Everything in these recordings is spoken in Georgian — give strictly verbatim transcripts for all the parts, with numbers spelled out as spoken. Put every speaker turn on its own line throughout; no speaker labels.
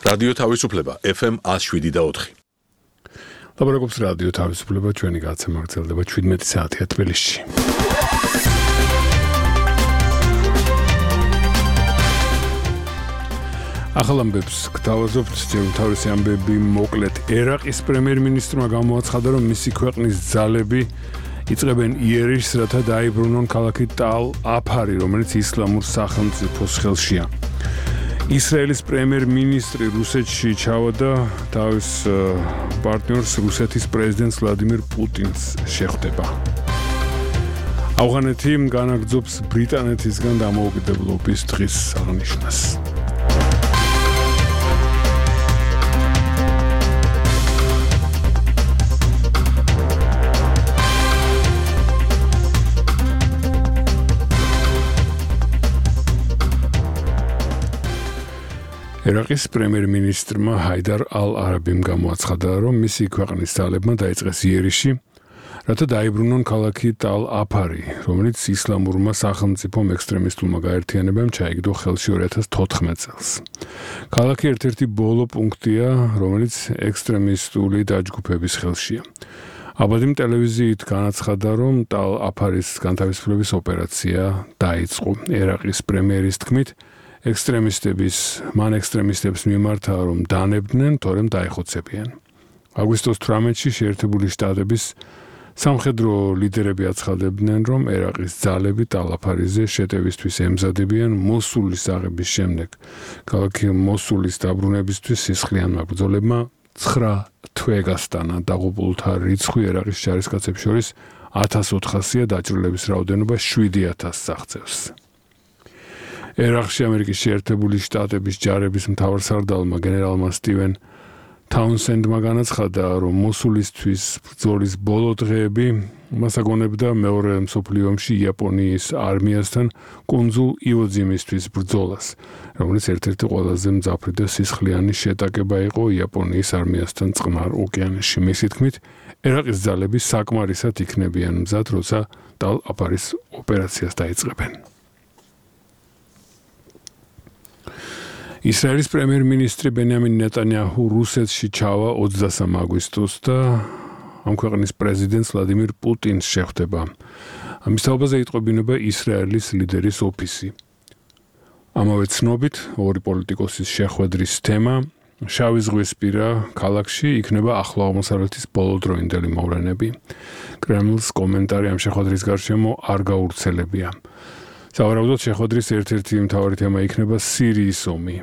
რადიო თავისუფლება F M one oh seven და four.
ლაბორატორიის რადიო თავისუფლება ჩვენი გაცემა გრძელდება seventeen საათია თბილისში. ახალ ამბებს გთავაზობთ, თავისი ამბები მოკლედ. ერაყის პრემიერ-მინისტრმა გამოაცხადა, რომ მისი ქვეყნის ძალები იწყებენ იერიშს, რათა დაიბრუნონ ქალაქი ტალ-აფარი, რომელიც ისლამურ სახელმწიფოს ხელშია. ისრაელის პრემიერ-მინისტრი რუსეთში ჩავარდა თავის პარტნიორს რუსეთის პრეზიდენტს ვლადიმირ პუტინს შეხვდება. ავღანეთი განაგრძობს ბრიტანეთისგან დამოუკიდებლობის დღის აღნიშვნას. ერაყის პრემიერ-მინისტრმა ჰაიდარ ალ-არაბიმ გამოაცხადა, რომ მისი ქვეყნის ძალებმა დაიწყეს იერიში, რათა დაიბრუნონ ქალაქი ტალ-აფარი, რომელიც ისლამურმა სახელმწიფომ ექსტრემისტულმა გაერთიანებამ ჩაიგდო ხელში two thousand fourteen წელს. ქალაქი ერთ-ერთი ბოლო პუნქტია, რომელიც ექსტრემისტული დაჯგუფების ხელშია. აბადიმ ტელევიზიით განაცხადა, რომ ტალ-აფარის განთავისუფლების ოპერაცია დაიწყო. ერაყის პრემიერის თქმით, ექსტრემისტების, მან ექსტრემისტებს მიმართა, რომ დანებდნენ, თორემ დაეხოცებიან. აგვისტოს eighteen-ში შეერთებული შტატების სამხედრო ლიდერები აცხადებდნენ, რომ ერაყის ძალები ტალ-აფარიზე შეტევისთვის ემზადებიან მოსულის აღების შემდეგ. ქალაქი მოსულის დაბრუნებისთვის სისხლიანმა ბრძოლებმა nine თვე გასტანა. დაღუპულთა რიცხვი ერაყის ჯარისკაცებს შორის fourteen hundred-ია, დაჭრილების რაოდენობა seven thousand აღწევს. ერაყში ამერიკის შეერთებული შტატების ჯარების მთავარსარდალმა გენერალმა სტივენ თაუნსენდმა განაცხადა, რომ მოსულისთვის ბრძოლის ბოლო დღეები მას აგონებდა მეორე მსოფლიო ომში იაპონიის არმიასთან კუნძულ ივოძიმისთვის ბრძოლას, რომელიც ერთ-ერთი ყველაზე მძაფრი და სისხლიანი შეტაკება იყო იაპონიის არმიასთან წყნარ ოკეანეში. მისი თქმით, ერაყის ძალები საკმარისად იქნებიან მზად, როცა ტალ-აფარის ოპერაციას დაიწყებენ. ისრაელის პრემიერ-მინისტრი ბენიამინ ნეტანიაჰუ რუსეთში ჩავა twenty-three აგვისტოს და ამ ქვეყნის პრეზიდენტს ვლადიმირ პუტინს შეხვდება. ამის თაობაზე იტყობინება ისრაელის ლიდერის ოფისი. ამავე ცნობით, ორი პოლიტიკოსის შეხვედრის თემა შავი ზღვისპირა ქალაქში იქნება ახლო აღმოსავლეთის ბოლოდროინდელი მოვლენები. კრემლს კომენტარი ამ შეხვედრის გარშემო არ გაურცელებია. სავარაუდოდ შეხვედრის ერთ-ერთი მთავარი თემა იქნება სირიის ომი.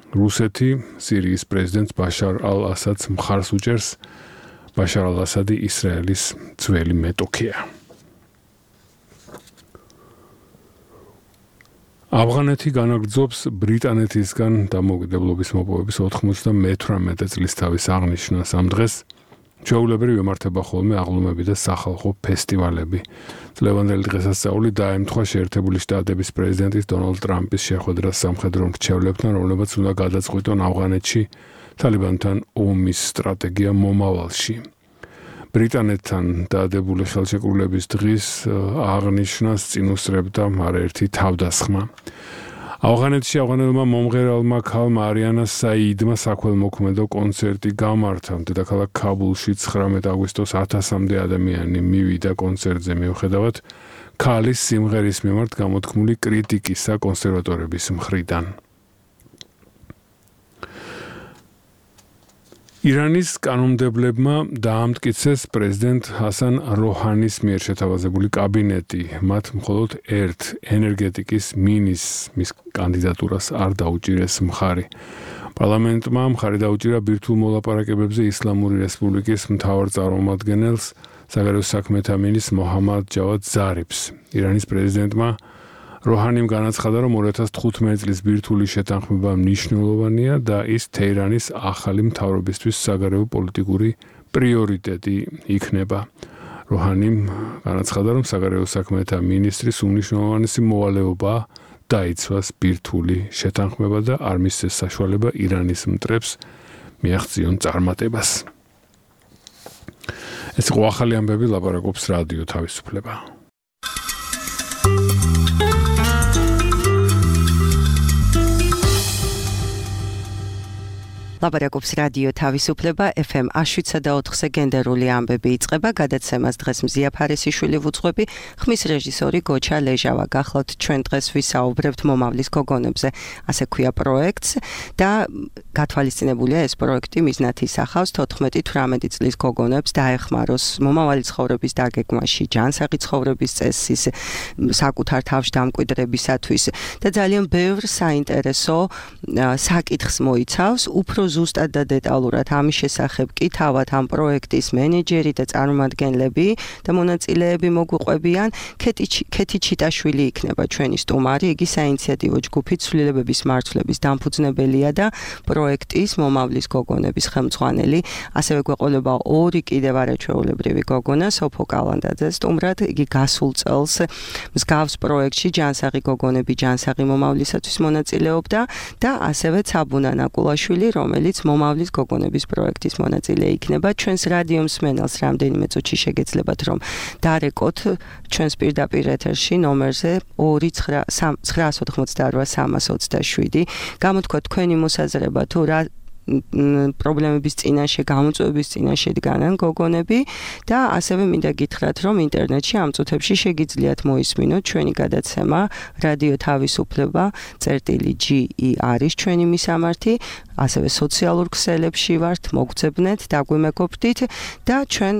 რუსეთი სირიის პრეზიდენტს ბაშარ ალ-ასადს მხარს უჭერს. ბაშარ ალ-ასადი ისრაელის ძველი მეტოქეა. ავღანეთი განაგრძობს ბრიტანეთისგან დამოუკიდებლობის მოპოვების ninety-eighty წლის თავის აღნიშვნას. ამ დღეს ჩვეულებრივ ემართება ხოლმე აღლუმები და სახალხო ფესტივალები. წლევანდელი დღესასწაული დაემთხვა შეერთებული შტატების პრეზიდენტის დონალდ ტრამპის შეხვედრას სამხედრო მრჩევლებთან, რომლებიც უნდა გადაწყვიტონ ავღანეთში თალიბანთან ომის სტრატეგია მომავალში. ბრიტანეთთან დაადებული ხელშეკრულების დღის აღნიშვნას წინ უსწრებდა არაერთი თავდასხმა. ავღანეთში ავღანელმა მომღერალმა ქალმა არიანა საიდმა საქველმოქმედო კონცერტი გამართა. დედაქალაქ ქაბულში nineteen აგვისტოს ათასამდე ადამიანი მივიდა კონცერტზე მიუხედავად ქალის სიმღერის მიმართ გამოთქმული კრიტიკისა კონსერვატორების მხრიდან. ირანის კანონმდებლებმა დაამტკიცეს პრეზიდენტ ჰასან როჰანის მიერ შეთავაზებული კაბინეტი. მათ მხოლოდ ერთ ენერგეტიკის მინისტრს კანდიდატურას არ დაუჭირეს მხარი. პარლამენტმა მხარი დაუჭირა ბირთვულ მოლაპარაკებებზე ისლამური რესპუბლიკის მთავარ წარმომადგენელს, საგარეო საქმეთა მინისტრს მოჰამად ჯავად ზარიფს. ირანის პრეზიდენტმა როჰანიმ განაცხადა, რომ two thousand fifteen წლის ბირთვული შეთანხმება მნიშვნელოვანია და ის თეირანის ახალი მთავრობისთვის საგარეო პოლიტიკური პრიორიტეტი იქნება. როჰანიმ განაცხადა, რომ საგარეო საქმეთა მინისტრის უმნიშვნელოვანესი მოვალეობაა დაიცვას ბირთვული შეთანხმება და არ მისცეს საშუალება ირანის მტრებს მიაღწიონ წარმატებას. ეს იყო ახალი ამბები, ლაპარაკობს რადიო თავისუფლება.
ლაპარაკობს რადიო თავისუფლება ეფ ემ შვიდსა და ოთხზე გენდერული ამბები იწყება. გადაცემას დღეს მზია ფარესიშვილი ვუძღვები, ხმის რეჟისორი გოჩა ლეჟავა. გახლავთ ჩვენ დღეს ვისაუბრებთ მომავლის გოგონებზე, ასე ქვია პროექტს და გათვალისწინებულია ეს პროექტი მიზნად ისახავს თოთხმეტი თვრამეტი წლის გოგონებს დაეხმაროს მომავალი ცხოვრების დაგეგმვაში, ჯანსაღი ცხოვრების წესის, საკუთარ თავში დამკვიდრებისათვის და ძალიან ბევრ საინტერესო საკითხს მოიცავს. უფრო ზუსტად და დეტალურად ამის შესახებ კი თავად ამ პროექტის მენეჯერი და წარმომადგენლები და მონაწილეები მოგვიყვებიან. ქეთი ჩიტაშვილი იქნება ჩვენი სტუმარი. იგი საინიციატივო ჯგუფი ცვლილებების მარცვლების დამფუძნებელია და პროექტის მომავლის გოგონების ხელმძღვანელი. ასევე გვეყოლება ორი კიდევ არაჩვეულებრივი გოგონა, სოფო კალანდაძე სტუმრად. იგი გასულ წელს მსგავს პროექტში ჯანსაღი გოგონები ჯანსაღი მომავლისათვის მონაწილეობდა და ასევე ცაბუნა ნაკულაშვილი, რომელიც მომავლის გოგონების პროექტის მონაწილე იქნება. ჩვენს რადიო მსმენელს რამდენიმე წუთში შეგეძლებათ რომ დარეკოთ ჩვენს პირდაპირ ეთერში ნომერზე ორი ცხრა ოთხმოცდაოთხ სამას ოცდაშვიდი. გამოთქვათ თქვენი მოსაზრება თუ რა პრობლემების წინაშე, გამოწვევების წინაშე დგანან გოგონები და ასევე მინდა გითხრათ, რომ ინტერნეტში ამ წუთებში შეგიძლიათ მოისმინოთ ჩვენი გადაცემა რადიო თავისუფლება წერტილი ჯი ი არის ჩვენი მისამართი, ასევე სოციალურ ქსელებში ვართ, მოგძებნეთ, დაგვიმეგობრდით და ჩვენ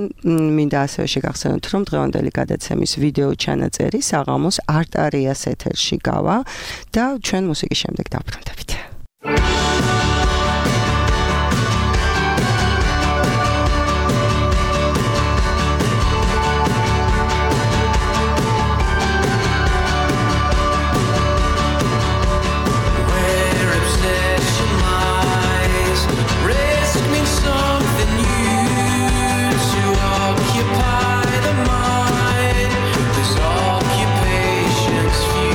მინდა ასევე შეგახსენოთ, რომ დღევანდელი გადაცემის ვიდეო ჩანაწერი საღამოს არტარიას ეთერში გავა და ჩვენ მუსიკის შემდეგ დავბრუნდებით.
Occupations few.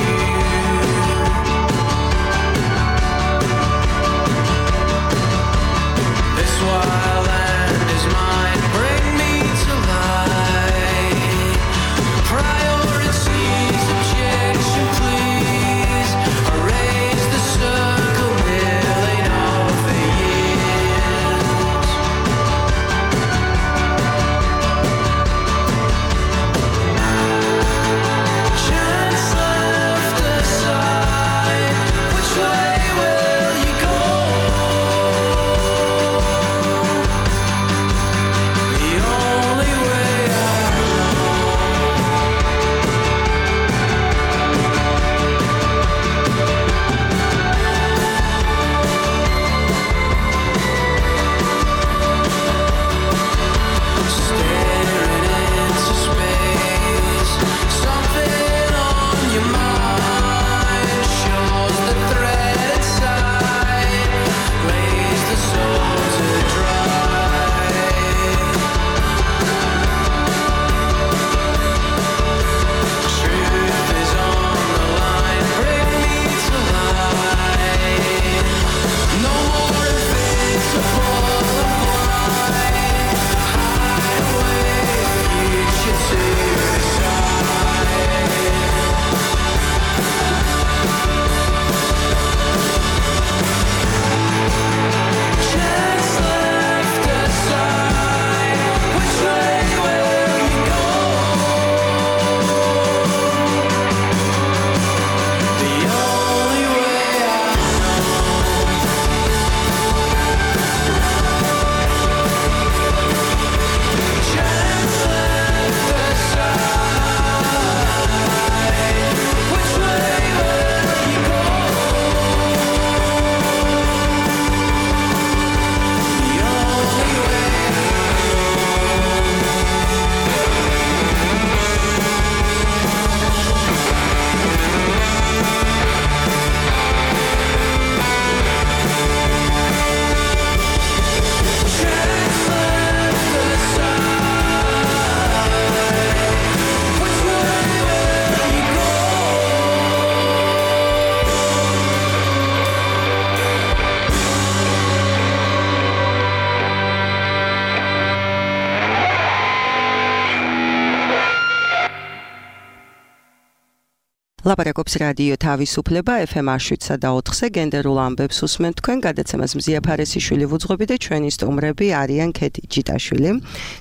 ლაპარაკობს რადიო თავისუფლება ეფ ემ შვიდსა და ოთხზე გენდერულ ამბებს უსმენთ თქვენ გადაცემას მზია ფარესიშვილი ვუძღვები და ჩვენი სტუმრები არიან ქეთი ჯიტაშვილი,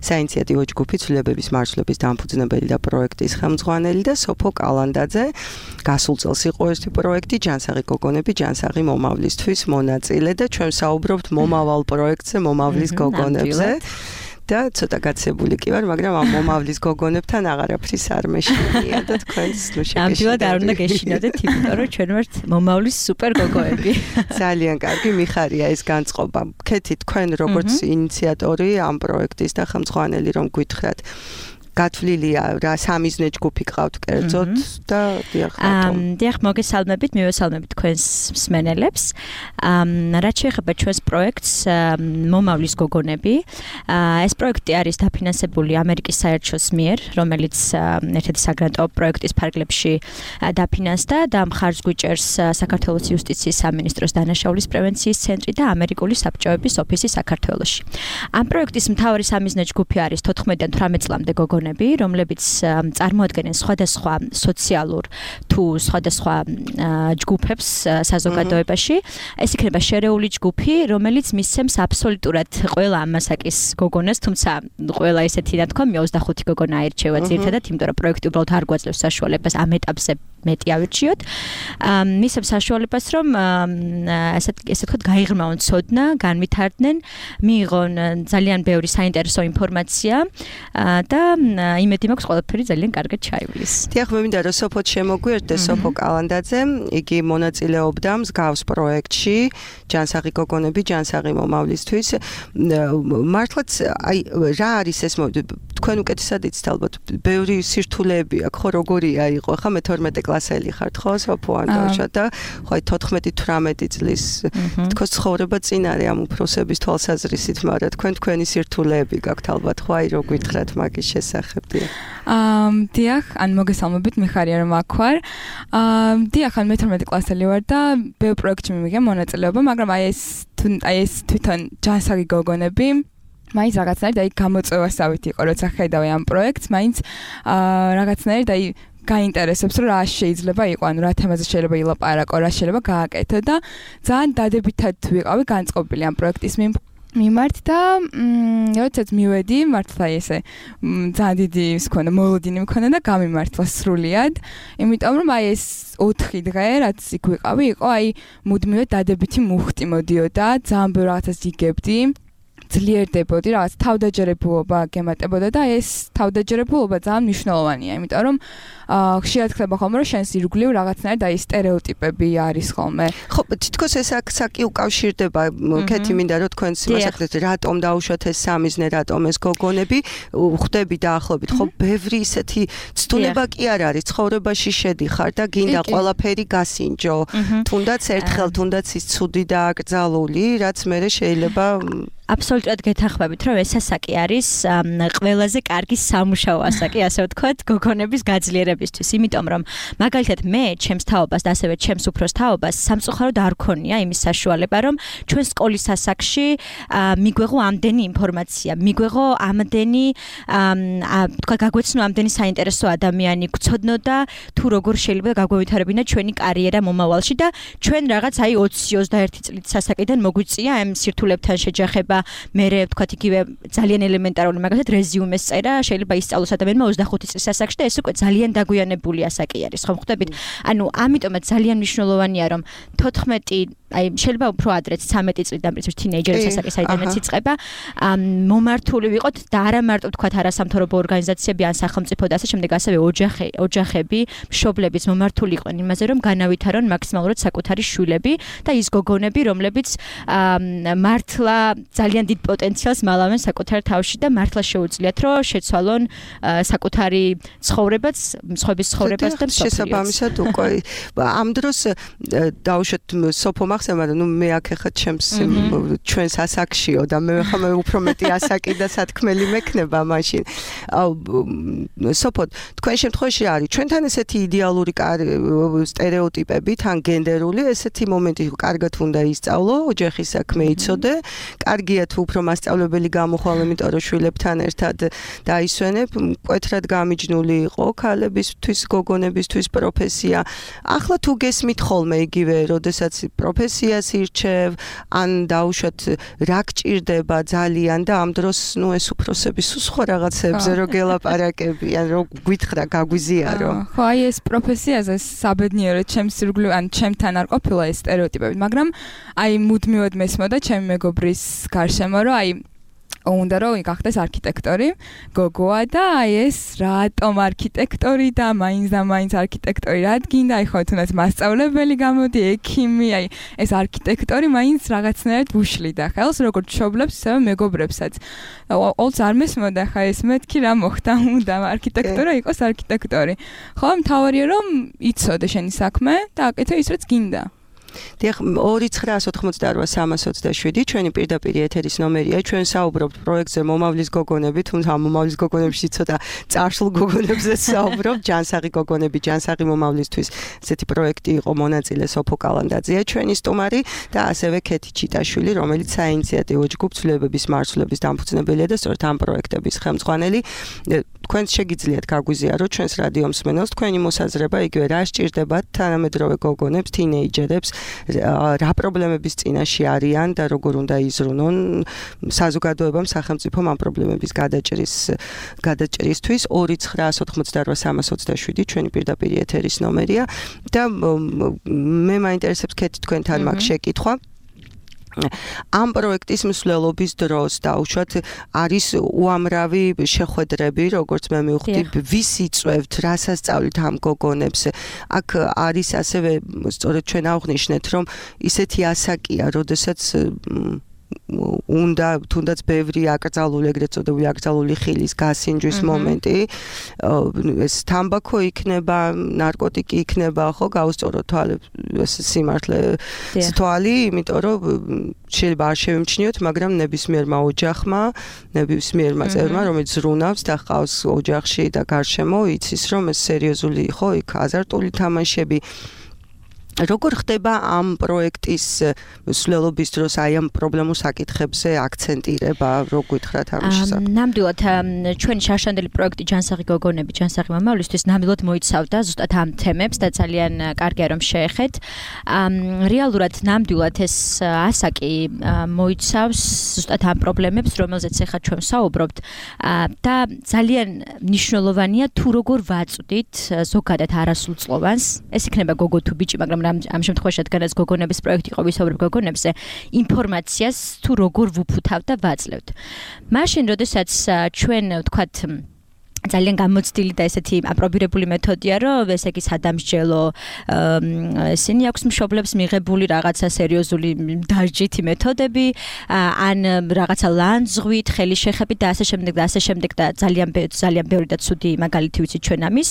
საინიციატივო ჯგუფი ცვლილებების მარცვლების დამფუძნებელი და პროექტის ხელმძღვანელი და სოფო კალანდაძე. გასულ წელს იყო ერთი პროექტი ჯანსაღი გოგონები, ჯანსაღი მომავლისთვის მონაწილე და ჩვენ საუბრობთ მომავალ პროექტზე, მომავლის გოგონებზე. და ცოტა გაცებული კი ვარ, მაგრამ ამ მომავლის გოგონებთან აღარაფრის არ მეშინია და თქვენს ნუ შეგეშინებთ.
ამჯერად არ უნდა გეშინოდეთ, იმიტომ რომ ჩვენ ვართ მომავლის სუპერ გოგოები.
ძალიან კარგი, მიხარია ეს განწყობა. ქეთი, თქვენ როგორც ინიციატორი ამ პროექტის და ხელმძღვანელი რომ გითხრათ, გათვლილია რა სამიზნე ჯგუფი ყავთ კერძოდ და დიახ
ამ დიახ მოგესალმებით, მივესალმებით თქვენს მსმენელებს. ამ რაც შეეხება ჩვენს პროექტს მომავლის გოგონები, ეს პროექტი არის დაფინანსებული ამერიკის საერთაშორისო მიერ, რომელიც ერთ-ერთი საგრანტო პროექტის ფარგლებში დაფინანსდა და მხარს გვიჭერს საქართველოს იუსტიციის სამინისტროს დანაშაულის პრევენციის ცენტრი და ამერიკული საბჭოების ოფისი საქართველოში. ამ პროექტის მთავარი სამიზნე ჯგუფი არის თოთხმეტიდან თვრამეტ წლამდე გოგონები, რომლებიც წარმოადგენენ სხვადასხვა სოციალურ თუ სხვადასხვა ჯგუფებს საზოგადოებაში. ეს იქნება შერეული ჯგუფი, რომელიც მისცემს აბსოლუტურად ყველა ამასაკის გოგონას, თუმცა ყველა ესეთი რა თქვა, ოცდახუთი გოგონა აირჩევა ძირითადად, იმიტომ რომ პროექტი უბრალოდ არ გვაძლევს საშუალებას ამ ეტაპზე მეტი ავირჩიოთ. მისცემს საშუალებას, რომ ესე ესე ვთქვათ, გაიღრმავონ ცოდნა, განვითარდნენ, მიიღონ ძალიან ბევრი საინტერესო ინფორმაცია და იმედი მაქვს ყველაფერი ძალიან კარგად ჩაივლის.
დიახ, მე მინდა რომ სოფოთ შემოგვიერთდეს სოფო კალანდაძე, იგი მონაწილეობდა მსგავს პროექტში ჯანსაღი გოგონები, ჯანსაღი მომავლისთვის. მართლაც აი რა არის ეს თქვენ უკეთესად იცით ალბათ, ბევრი სირთულეები აქვს, ხო როგორია იყო, ხა მე თორმეტე კლასელი ხართ, ხო სოფო ანტოშა და ხო აი თოთხმეტი თვრამეტი წლის თქოს ცხოვრება წინ არის ამ უფროსების თვალსაზრისით, მაგრამ თქვენ თქვენი სირთულეები გაქვთ ალბათ, ხო აი რო გითხრათ მაგის შესახებ.
აა დიახ, ან მოგესალმებით, მიხარია რომ აქ ვარ. აა დიახ, ან მე თორმეტი კლასელი ვარ და ბევრ პროექტში მივიღე მონაწილეობა, მაგრამ აი ეს აი ეს თვითონ ჯანსაღი გოგონები მაინც რაღაცნაირად აი გამოწვევასავით იყო, როცა ხედავი ამ პროექტს, მაინც აა რაღაცნაირად აი გაინტერესებს, რომ რა შეიძლება იყო, ანუ რა თემაზე შეიძლება ილაპარაკო, რა შეიძლება გააკეთო და ძალიან დადებითად ვიყავი განწყობილი ამ პროექტის მიმართ და როდესაც მივედი, მართლა ესე ძალიან დიდი ის ქონა, მოლოდინი მქონდა და გამიმართლა სრულიად, იმიტომ რომ აი ეს ოთხი დღე, რაც იქ ვიყავი, იყო აი მუდმივად დადებითი მუხტი მოდიოდა, ძალიან ბევრ რაღაცას იგებდი. ძლიერდებოდი, რაღაც თავდაჯერებულობა გემატებოდა და ეს თავდაჯერებულობა ძალიან მნიშვნელოვანია, იმიტომ რომ ხშირად ხდება ხოლმე, რომ შენს ირგვლივ რაღაცნაირად აი სტერეოტიპები არის ხოლმე.
ხო, თითქოს ეს აქ უკავშირდება, ქეთი მინდა რომ თქვენს იმასაკეთ, რატომ დაუშვათ ეს სამიზნე, რატომ ეს გოგონები, ხვდები დაახლოებით, ხო, ბევრი ისეთი ცდუნება კი არ არის, ცხოვრებაში შედიხარ და გინდა ყველაფერი გასინჯო. თუნდაც ერთხელ, თუნდაც ის ცუდი და აკრძალული, რაც მე შეიძლება
აბსოლუტურად გეთანხმებით, რომ ეს ასაკი არის ყველაზე კარგი სამუშაო ასაკი, ასე ვთქვათ, გოგონების გაძლიერებისთვის, იმიტომ რომ მაგალითად მე ჩემს თაობას და ასევე ჩემს უფროს თაობას სამწუხაროდ არ ქონია იმის საშუალება, რომ ჩვენ სკოლის ასაკში მიგვეღო ამდენი ინფორმაცია, მიგვეღო ამდენი თქვა გაგვეცნო ამდენი საინტერესო ადამიანი, გვცოდნო და თუ როგორ შეიძლება გაგვევითარებინა ჩვენი კარიერა მომავალში და ჩვენ რაღაც აი ოცი ოცდაერთი წლის ასაკიდან მოგვიწია ამ სირთულებთან შეჯახება. მერე ვთქვათ იგივე ძალიან ელემენტარული მაგალითად რეზიუმეს წერა შეიძლება ისწავლოს ადამიანმა ოცდახუთი წლის ასაკში და ეს უკვე ძალიან დაგვიანებული ასაკი არის, ხო ხვდებით? ანუ ამიტომაც ძალიან მნიშვნელოვანია რომ თოთხმეტი აი შეიძლება უფრო ადრეც ცამეტი წლიდან პრინციპში თინეიჯერის ასაკი საიდანაც იწყება, მომართული ვიყოთ და არა მარტო ვთქვათ არასამთავრობო ორგანიზაციები ან სახელმწიფო და ასე შემდეგ, ასევე ოჯახი, ოჯახები, მშობლებიც მომართული იყვნენ იმაზე, რომ განავითარონ მაქსიმალურად საკუთარი შვილები და ის გოგონები, რომლებიც მართლა ძალიან დიდ პოტენციალს მალავენ საკუთარ თავში და მართლა შეუძლიათ რომ შეცვალონ საკუთარი ცხოვრებაც, მსხვების ცხოვრებას და მსოფლიოს.
შესაბამისად უკვე ამ დროს დაუშვათ სოფო მახსენდა, ნუ მე აქ ხა ჩემს ჩვენს ასაკშიო და მე ხა მე უფრო მეტი ასაკი და სათქმელი მექნება მაშინ. სოფო, თქვენ შემთხვევაში რა არის? ჩვენთან ესეთი იდეალური სტერეოტიპები, თან გენდერული ესეთი მომენტი კარგად უნდა ისწავლო, ოჯახის საქმე იცოდე, კარგი გიგია თუ უფრო მასწავლებელი გამოხვალ, იმიტომ რომ შვილებთან ერთად დაისვენებ, მკვეთრად გამიჯნული იყო ქალებისთვის, გოგონებისთვის პროფესია. ახლა თუ გესმით ხოლმე იგივე, როდესაც პროფესიას ირჩევ, ან დაუშვათ რა გჭირდება ძალიან და ამ დროს ნუ ეს უფროსები სულ სხვა რაღაცებზე რო გელაპარაკებიან, რო გვითხრა გაგვიზიარო.
ხო, აი ეს პროფესიაზე საბედნიეროდ ჩემს ირგვლივ ან ჩემთან არ ყოფილა ეს სტერეოტიპები, მაგრამ აი მუდმივად მესმოდა ჩემი მეგობრის გარშემო, რომ აი უნდა რომ გახდეს არქიტექტორი, გოგოა და აი ეს რატომ არქიტექტორი და მაინც და მაინც არქიტექტორი რა გინდა, აი ხო თუნდაც მასწავლებელი გამოდი, ექიმი, აი ეს არქიტექტორი მაინც რაღაცნაირად უშლიდა ხელს, როგორც მშობლებს, ისევე მეგობრებსაც. ყოველთვის არ მესმოდა ხა ეს მეთქი რა მოხდა, უნდა არქიტექტორა იყოს არქიტექტორი. ხო, მთავარია რომ იცოდე შენი საქმე და აკეთე ის რაც გინდა.
დიახ, ორი ცხრა ოცდაოთხმოცდაოთხ სამას ოცდაშვიდი ჩვენი პირდაპირ ეთერის ნომერია. ჩვენ საუბრობთ პროექტზე მომავლის გოგონები, თუმცა მომავლის გოგონებში ცოტა წარსულ გოგონებზე საუბრობთ. ჯანსაღი გოგონები, ჯანსაღი მომავლისთვის ესეთი პროექტი იყო მონაწილე სოფო კალანდაძეა ჩვენი სტუმარი და ასევე ქეთი ჩიტაშვილი, რომელიც საინიციატივო ჯგუფ ცვლილებების მარცვლების დამფუძნებელია და სწორედ ამ პროექტების ხელმძღვანელი. თქვენს შეგიძლიათ გაგვიზიაროთ ჩვენს რადიო მსმენელს თქვენი მოსაზრება, იგივე რა სჭირდებათ თანამედროვე გოგონებს, თინეიჯერებს, რა პრობლემების წინაშე არიან და როგორ უნდა იზრუნონ საზოგადოებამ, სახელმწიფომ ამ პრობლემების გადაჭრის გადაჭრისთვის. ორი ცხრა ოცდაოთხმოცდაოთხ სამას ოცდაშვიდი ჩვენი პირდაპირ ეთერის ნომერია და მე მაინტერესებს ქეთი თქვენთან მაგ შეკითხვა. ამ პროექტის მსვლელობის დროს დაუშვათ არის უამრავი შეხვედრები, როგორც მე მივხვდი, ვის იწვევთ, რას ასწავლით ამ გოგონებს. აქ არის ასევე სწორედ ჩვენ აღვნიშნეთ, რომ ისეთი ასაკია, როდესაც უნდა თუნდაც ბევრი აკრძალული, ეგრეთ წოდებული აკრძალული ხილის გასინჯვის მომენტი, ეს თამბაქო იქნება, ნარკოტიკი იქნება, ხო, გაუსწოროთ ეს სიმართლე თვალი, იმიტომ რომ შეიძლება არ შევიმჩნიოთ, მაგრამ ნებისმიერმა ოჯახმა, ნებისმიერმა წევრმა, რომელიც ზრუნავს და ჰყავს ოჯახში და გარშემო, იცის რომ ეს სერიოზული იყო, იქ აზარტული თამაშები. როგორ ხდება ამ პროექტის მსვლელობის დროს აი ამ პრობლემურ საკითხებზე აქცენტირება, რო გითხრათ ამ შესახებ?
ნამდვილად ჩვენი შარშანდელი პროექტი ჯანსაღი გოგონები, ჯანსაღი მომავლისთვის ნამდვილად მოიცავდა ზუსტად ამ თემებს და ძალიან კარგია რომ შეეხეთ. რეალურად ნამდვილად ეს ასაკი მოიცავს ზუსტად ამ პრობლემებს, რომელზეც ახლა ჩვენ საუბრობთ და ძალიან მნიშვნელოვანია თუ როგორ ვაწვდით ზოგადად არასრულწლოვანს, ეს იქნება გოგო თუ ბიჭი, მაგრამ ამ შემთხვევაში რადგანაც გოგონების პროექტი იყო ვისაუბრებ გოგონებზე, ინფორმაციას თუ როგორ ვუფუთავთ და ვაძლევთ. მაშინ, როდესაც ჩვენ ვთქვათ ძალიან გამოცდილი და ესეთი აპრობირებული მეთოდია, რომ ესე იგი სადამსჯელო ისინი აქვს მშობლებს მიღებული რაღაცა სერიოზული დაჯითი მეთოდები, ან რაღაცა ლანძღვით, ხელის შეხებით და ასე შემდეგ და ასე შემდეგ და ძალიან ძალიან ბევრი და ცუდი მაგალითი ვიცით ჩვენ ამის.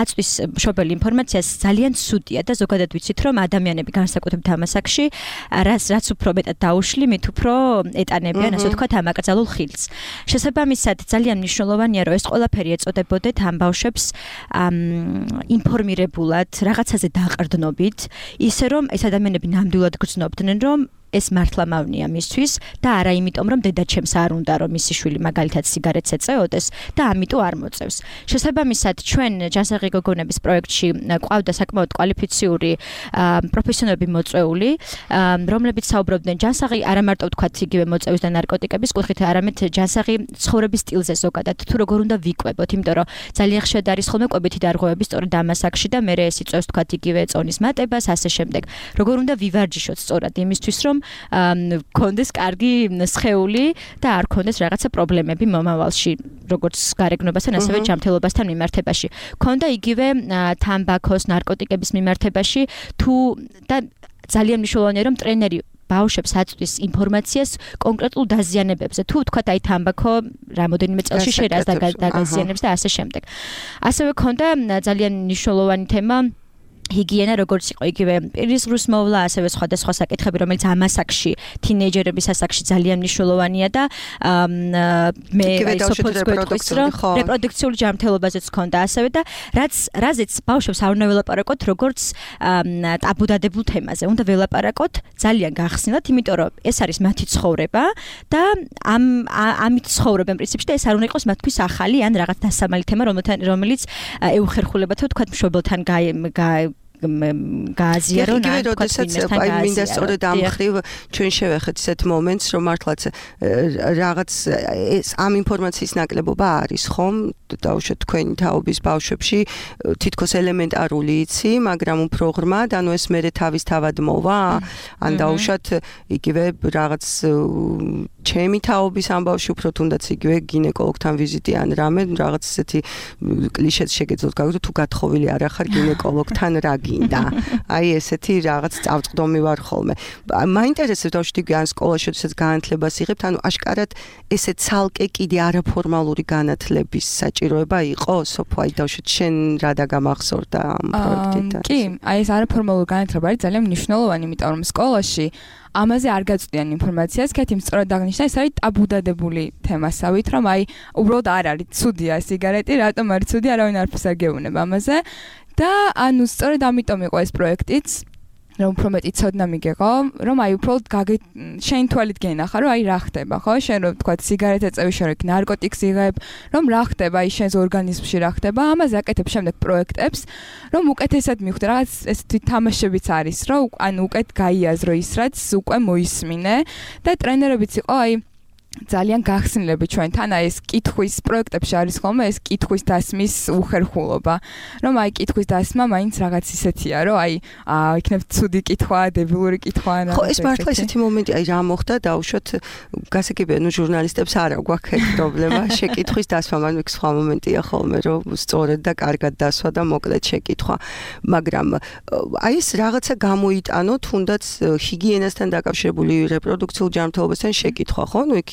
აწვის მშობელი ინფორმაციას ძალიან ცუდია და ზოგადად ვიცით, რომ ადამიანები განსაკუთრებით ამ ასაკში, რაც რაც უფრო მეტად დაუშლი, მით უფრო ეტანებიან, ასე ვთქვათ, ამ აკრძალულ ხილს. შესაბამისად, ძალიან მნიშვნელოვანია, რომ ეს ყველაფერი ეწოდებოდეთ ამ ბავშვებს ინფორმირებულად, რაღაცაზე დაყრდნობით, ისე რომ ეს ადამიანები ნამდვილად გრძნობდნენ, რომ ეს მართლა მავნია მისთვის და არა იმიტომ, რომ დედაჩემს არ უნდა, რომ მისი შვილი მაგალითად სიგარეტს ეწეოდეს და ამიტომ არ მოწევს. შესაბამისად, ჩვენ ჯანსაღი გოგონების პროექტში ყავდა საკმაოდ კვალიფიციური პროფესიონალები მოწვეული, რომლებიც საუბრობდნენ ჯანსაღი არა მარტო ვთქვათ იგივე მოწევის და ნარკოტიკების კუთხით, არამედ ჯანსაღი ცხოვრების სტილზე ზოგადად, თუ როგორ უნდა ვიკვებოთ, იმიტომ რომ ძალიან ხშირად არის ხოლმე კვებითი დარღვევები სწორედ ამ ასაკში და მე ეს იწევს ვთქვათ იგივე წონის მატებას, ასე შემდეგ. როგორ უნდა ვივარჯიშოთ სწორად იმისთვის, რომ კონდეს კარგი სხეული და არ კონდეს რაღაცა პრობლემები მომავალში, როგორც გარეგნობასთან, ასევე ჯანმრთელობასთან მიმართებაში. კონდა იგივე თამბაქოს, ნარკოტიკების მიმართებაში, თუ და ძალიან მნიშვნელოვანია, რომ ტრენერი ბავშვებს აწვდის ინფორმაციას კონკრეტულ დაზიანებებზე. თუ ვთქვათ, აი თამბაქო რამოდენიმე წელში შერას დაგაზიანებს და ასე შემდეგ. ასევე კონდა ძალიან მნიშვნელოვანი თემა ჰიგიენა როგორც იყო იგივე პირისღრუს მოვლა, ასევე სხვადასხვა საკითხები, რომელიც ამ ასაკში, თინეიჯერების ასაკში ძალიან მნიშვნელოვანია და მე სოფოს გვეტყვის, რომ რეპროდუქციული ჯანმრთელობაზეც ჰქონდა ასევე და რაც რაზეც ბავშვებს არ უნდა ველაპარაკოთ როგორც ტაბუდადებულ თემაზე. უნდა ველაპარაკოთ ძალიან გახსნილად, იმიტომ რომ ეს არის მათი ცხოვრება და ამ ამით ცხოვრობენ პრინციპში და ეს არ უნდა იყოს მათთვის ახალი ან რაღაც დასამალი თემა, რომელიც ეუხერხულება თუ თქვა მშობელთან გააზიარო
და როდესაც აი მინდა სწორედ ამ ხრივ ჩვენ შევეხეთ ისეთ მომენტს რომ მართლაც რაღაც ეს ამ ინფორმაციის ნაკლებობა არის ხომ დაუშვათ თქვენი თაობის ბავშვებში თითქოს ელემენტარული იცი მაგრამ უფრო ღრმად ანუ ეს მერე თავის თავად მოვა ან დაუშვათ იგივე რაღაც ჩემი თაობის ამბავში უფრო თუნდაც იგივე გინეკოლოგთან ვიზიტი ან რამე რაღაც ესეთი კლიშეც შეგეძლოთ გავიგოთ თუ გათხოვილი არ ახარ გინეკოლოგთან რა გინდა აი ესეთი რაღაც წავწყდომი ვარ ხოლმე მაინტერესებს დავშვიდი ან სკოლაში შესაძ განათლებას იღებთ ანუ აშკარად ესე ცალკე კიდე არაფორმალური განათლების საჭიროება იყო სოფო აი დავშვით შენ რა დაგამახსოვრდა ამ პროექტიდან
კი აი ეს არაფორმალური განათლება არის ძალიან მნიშვნელოვანი იმიტომ რომ სკოლაში ამაზე არ გაწვდიან ინფორმაციას, კეთიმ სწორად აღნიშნა, ეს არის ტაბუდადებული თემასავით, რომ აი უბრალოდ არ არის ცუდია სიგარეტი, რატომ არის ცუდი, არავინ არაფერს არ გეუბნება ამაზე და ანუ სწორედ ამიტომ იყო ეს პროექტიც, რომ უფრო მეტი ცოდნა მიგეღო, რომ აი უბრალოდ შენ თვალით გენახა, რომ აი რა ხდება, ხო? შენ რომ თქვა სიგარეტს ეწევი, შენ რომ ნარკოტიკს იღებ, რომ რა ხდება აი შენს ორგანიზმში რა ხდება, ამაზე აკეთებ შემდეგ პროექტებს, რომ უკეთესად მიხვდე, რაღაც ესეთი თამაშებიც არის, რომ ანუ უკეთ გაიაზრო ის, რაც უკვე მოისმინე და ტრენერებიც იყო აი ძალიან გახსნილები ჩვენთან აი ეს კითხვის პროექტებში არის ხოლმე ეს კითხვის დასმის უხერხულობა რომ აი კითხვის დასმა მაინც რაღაც ისეთია რომ აი იქნებ ცუდი კითხვა დებილური კითხვა რა
ხო ეს მართლა ისეთი მომენტი აი რა მოხდა დაუშვათ გასაგებია ნუ ჟურნალისტებს არა გვაქვს ეს პრობლემა შეკითხვის დასმა მაგრამ იქ სხვა მომენტია ხოლმე რომ სწორედ და კარგად დასვა და მოკლედ შეკითხვა მაგრამ აი ეს რაღაცა გამოიტანო თუნდაც ჰიგიენასთან დაკავშირებული რეპროდუქციულ ჯანმრთელობასთან შეკითხვა ხო ნუ იქ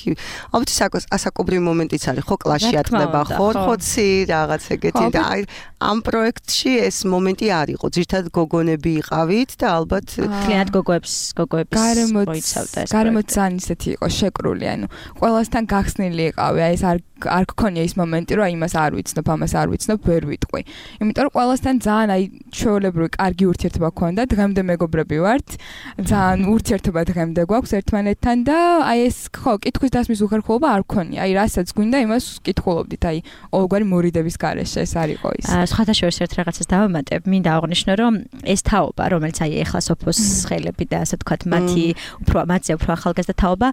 ალბათ ასაკობრივი მომენტიც არის ხო კლასში ატყდება ხო ხოცი რაღაც ეგეთი და აი ამ პროექტში ეს მომენტი არ იყო ძირთად გოგონები იყავით და ალბათ
კლient გოგოებს გოგოებს მოიცავდა ეს
გარემოც ძალიან ისეთი იყო შეკრული ანუ ყველასთან გახსნილი იყავი აი ეს არ არ გქონია ის მომენტი რომ აი იმას არ ვიცნობ ამას არ ვიცნობ ვერ ვიტყვი იმიტომ რომ ყველასთან ძალიან აი ჩვეულებრივი კარგი ურთიერთობა გქონდა დღემდე მეგობრები ვართ ძალიან ურთიერთობა დღემდე გვაქვს ერთმანეთთან და აი ეს ხო კითხვის დასმის უხერხულობა არ გქონია აი რასაც გვინდა იმას კითხულობდით აი ყოველგვარი მორიდების გარეშე ეს არ იყო ის
სხვათა შორის ერთ რაღაცას დავამატებ მინდა აღვნიშნო რომ ეს თაობა რომელიც აი ეხლა სოფოს ხელები და ასე თქვათ მათი უფრო მათზე უფრო ახალგაზრდა თაობა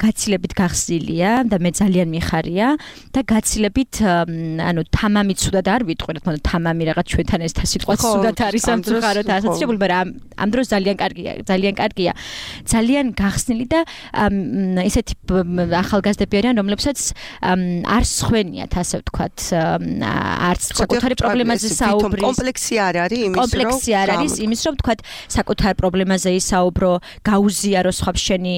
გაცილებით გახსნილია და მე ძალიან მიხარია და გაცილებით ანუ თამამი ცუდად არ ვიტყვი რა თქმა უნდა თამამი რაღაც ჩვენთან ეს სიტყვა ცუდად არის ამ ძუღაროთ ასოცირებული მაგრამ ამ დროს ძალიან კარგია ძალიან კარგია ძალიან გახსნილი და ესეთი ახალგაზრდები არიან რომლებსაც არ სხვენიათ ასე ვთქვათ არც საკუთარი პრობლემაზე საუბრის
კომპლექსი არ არის იმის რომ
კომპლექსი არ არის იმის რომ ვთქვათ საკუთარ პრობლემაზე ისაუბრო გაუზიარო სხვებს შენი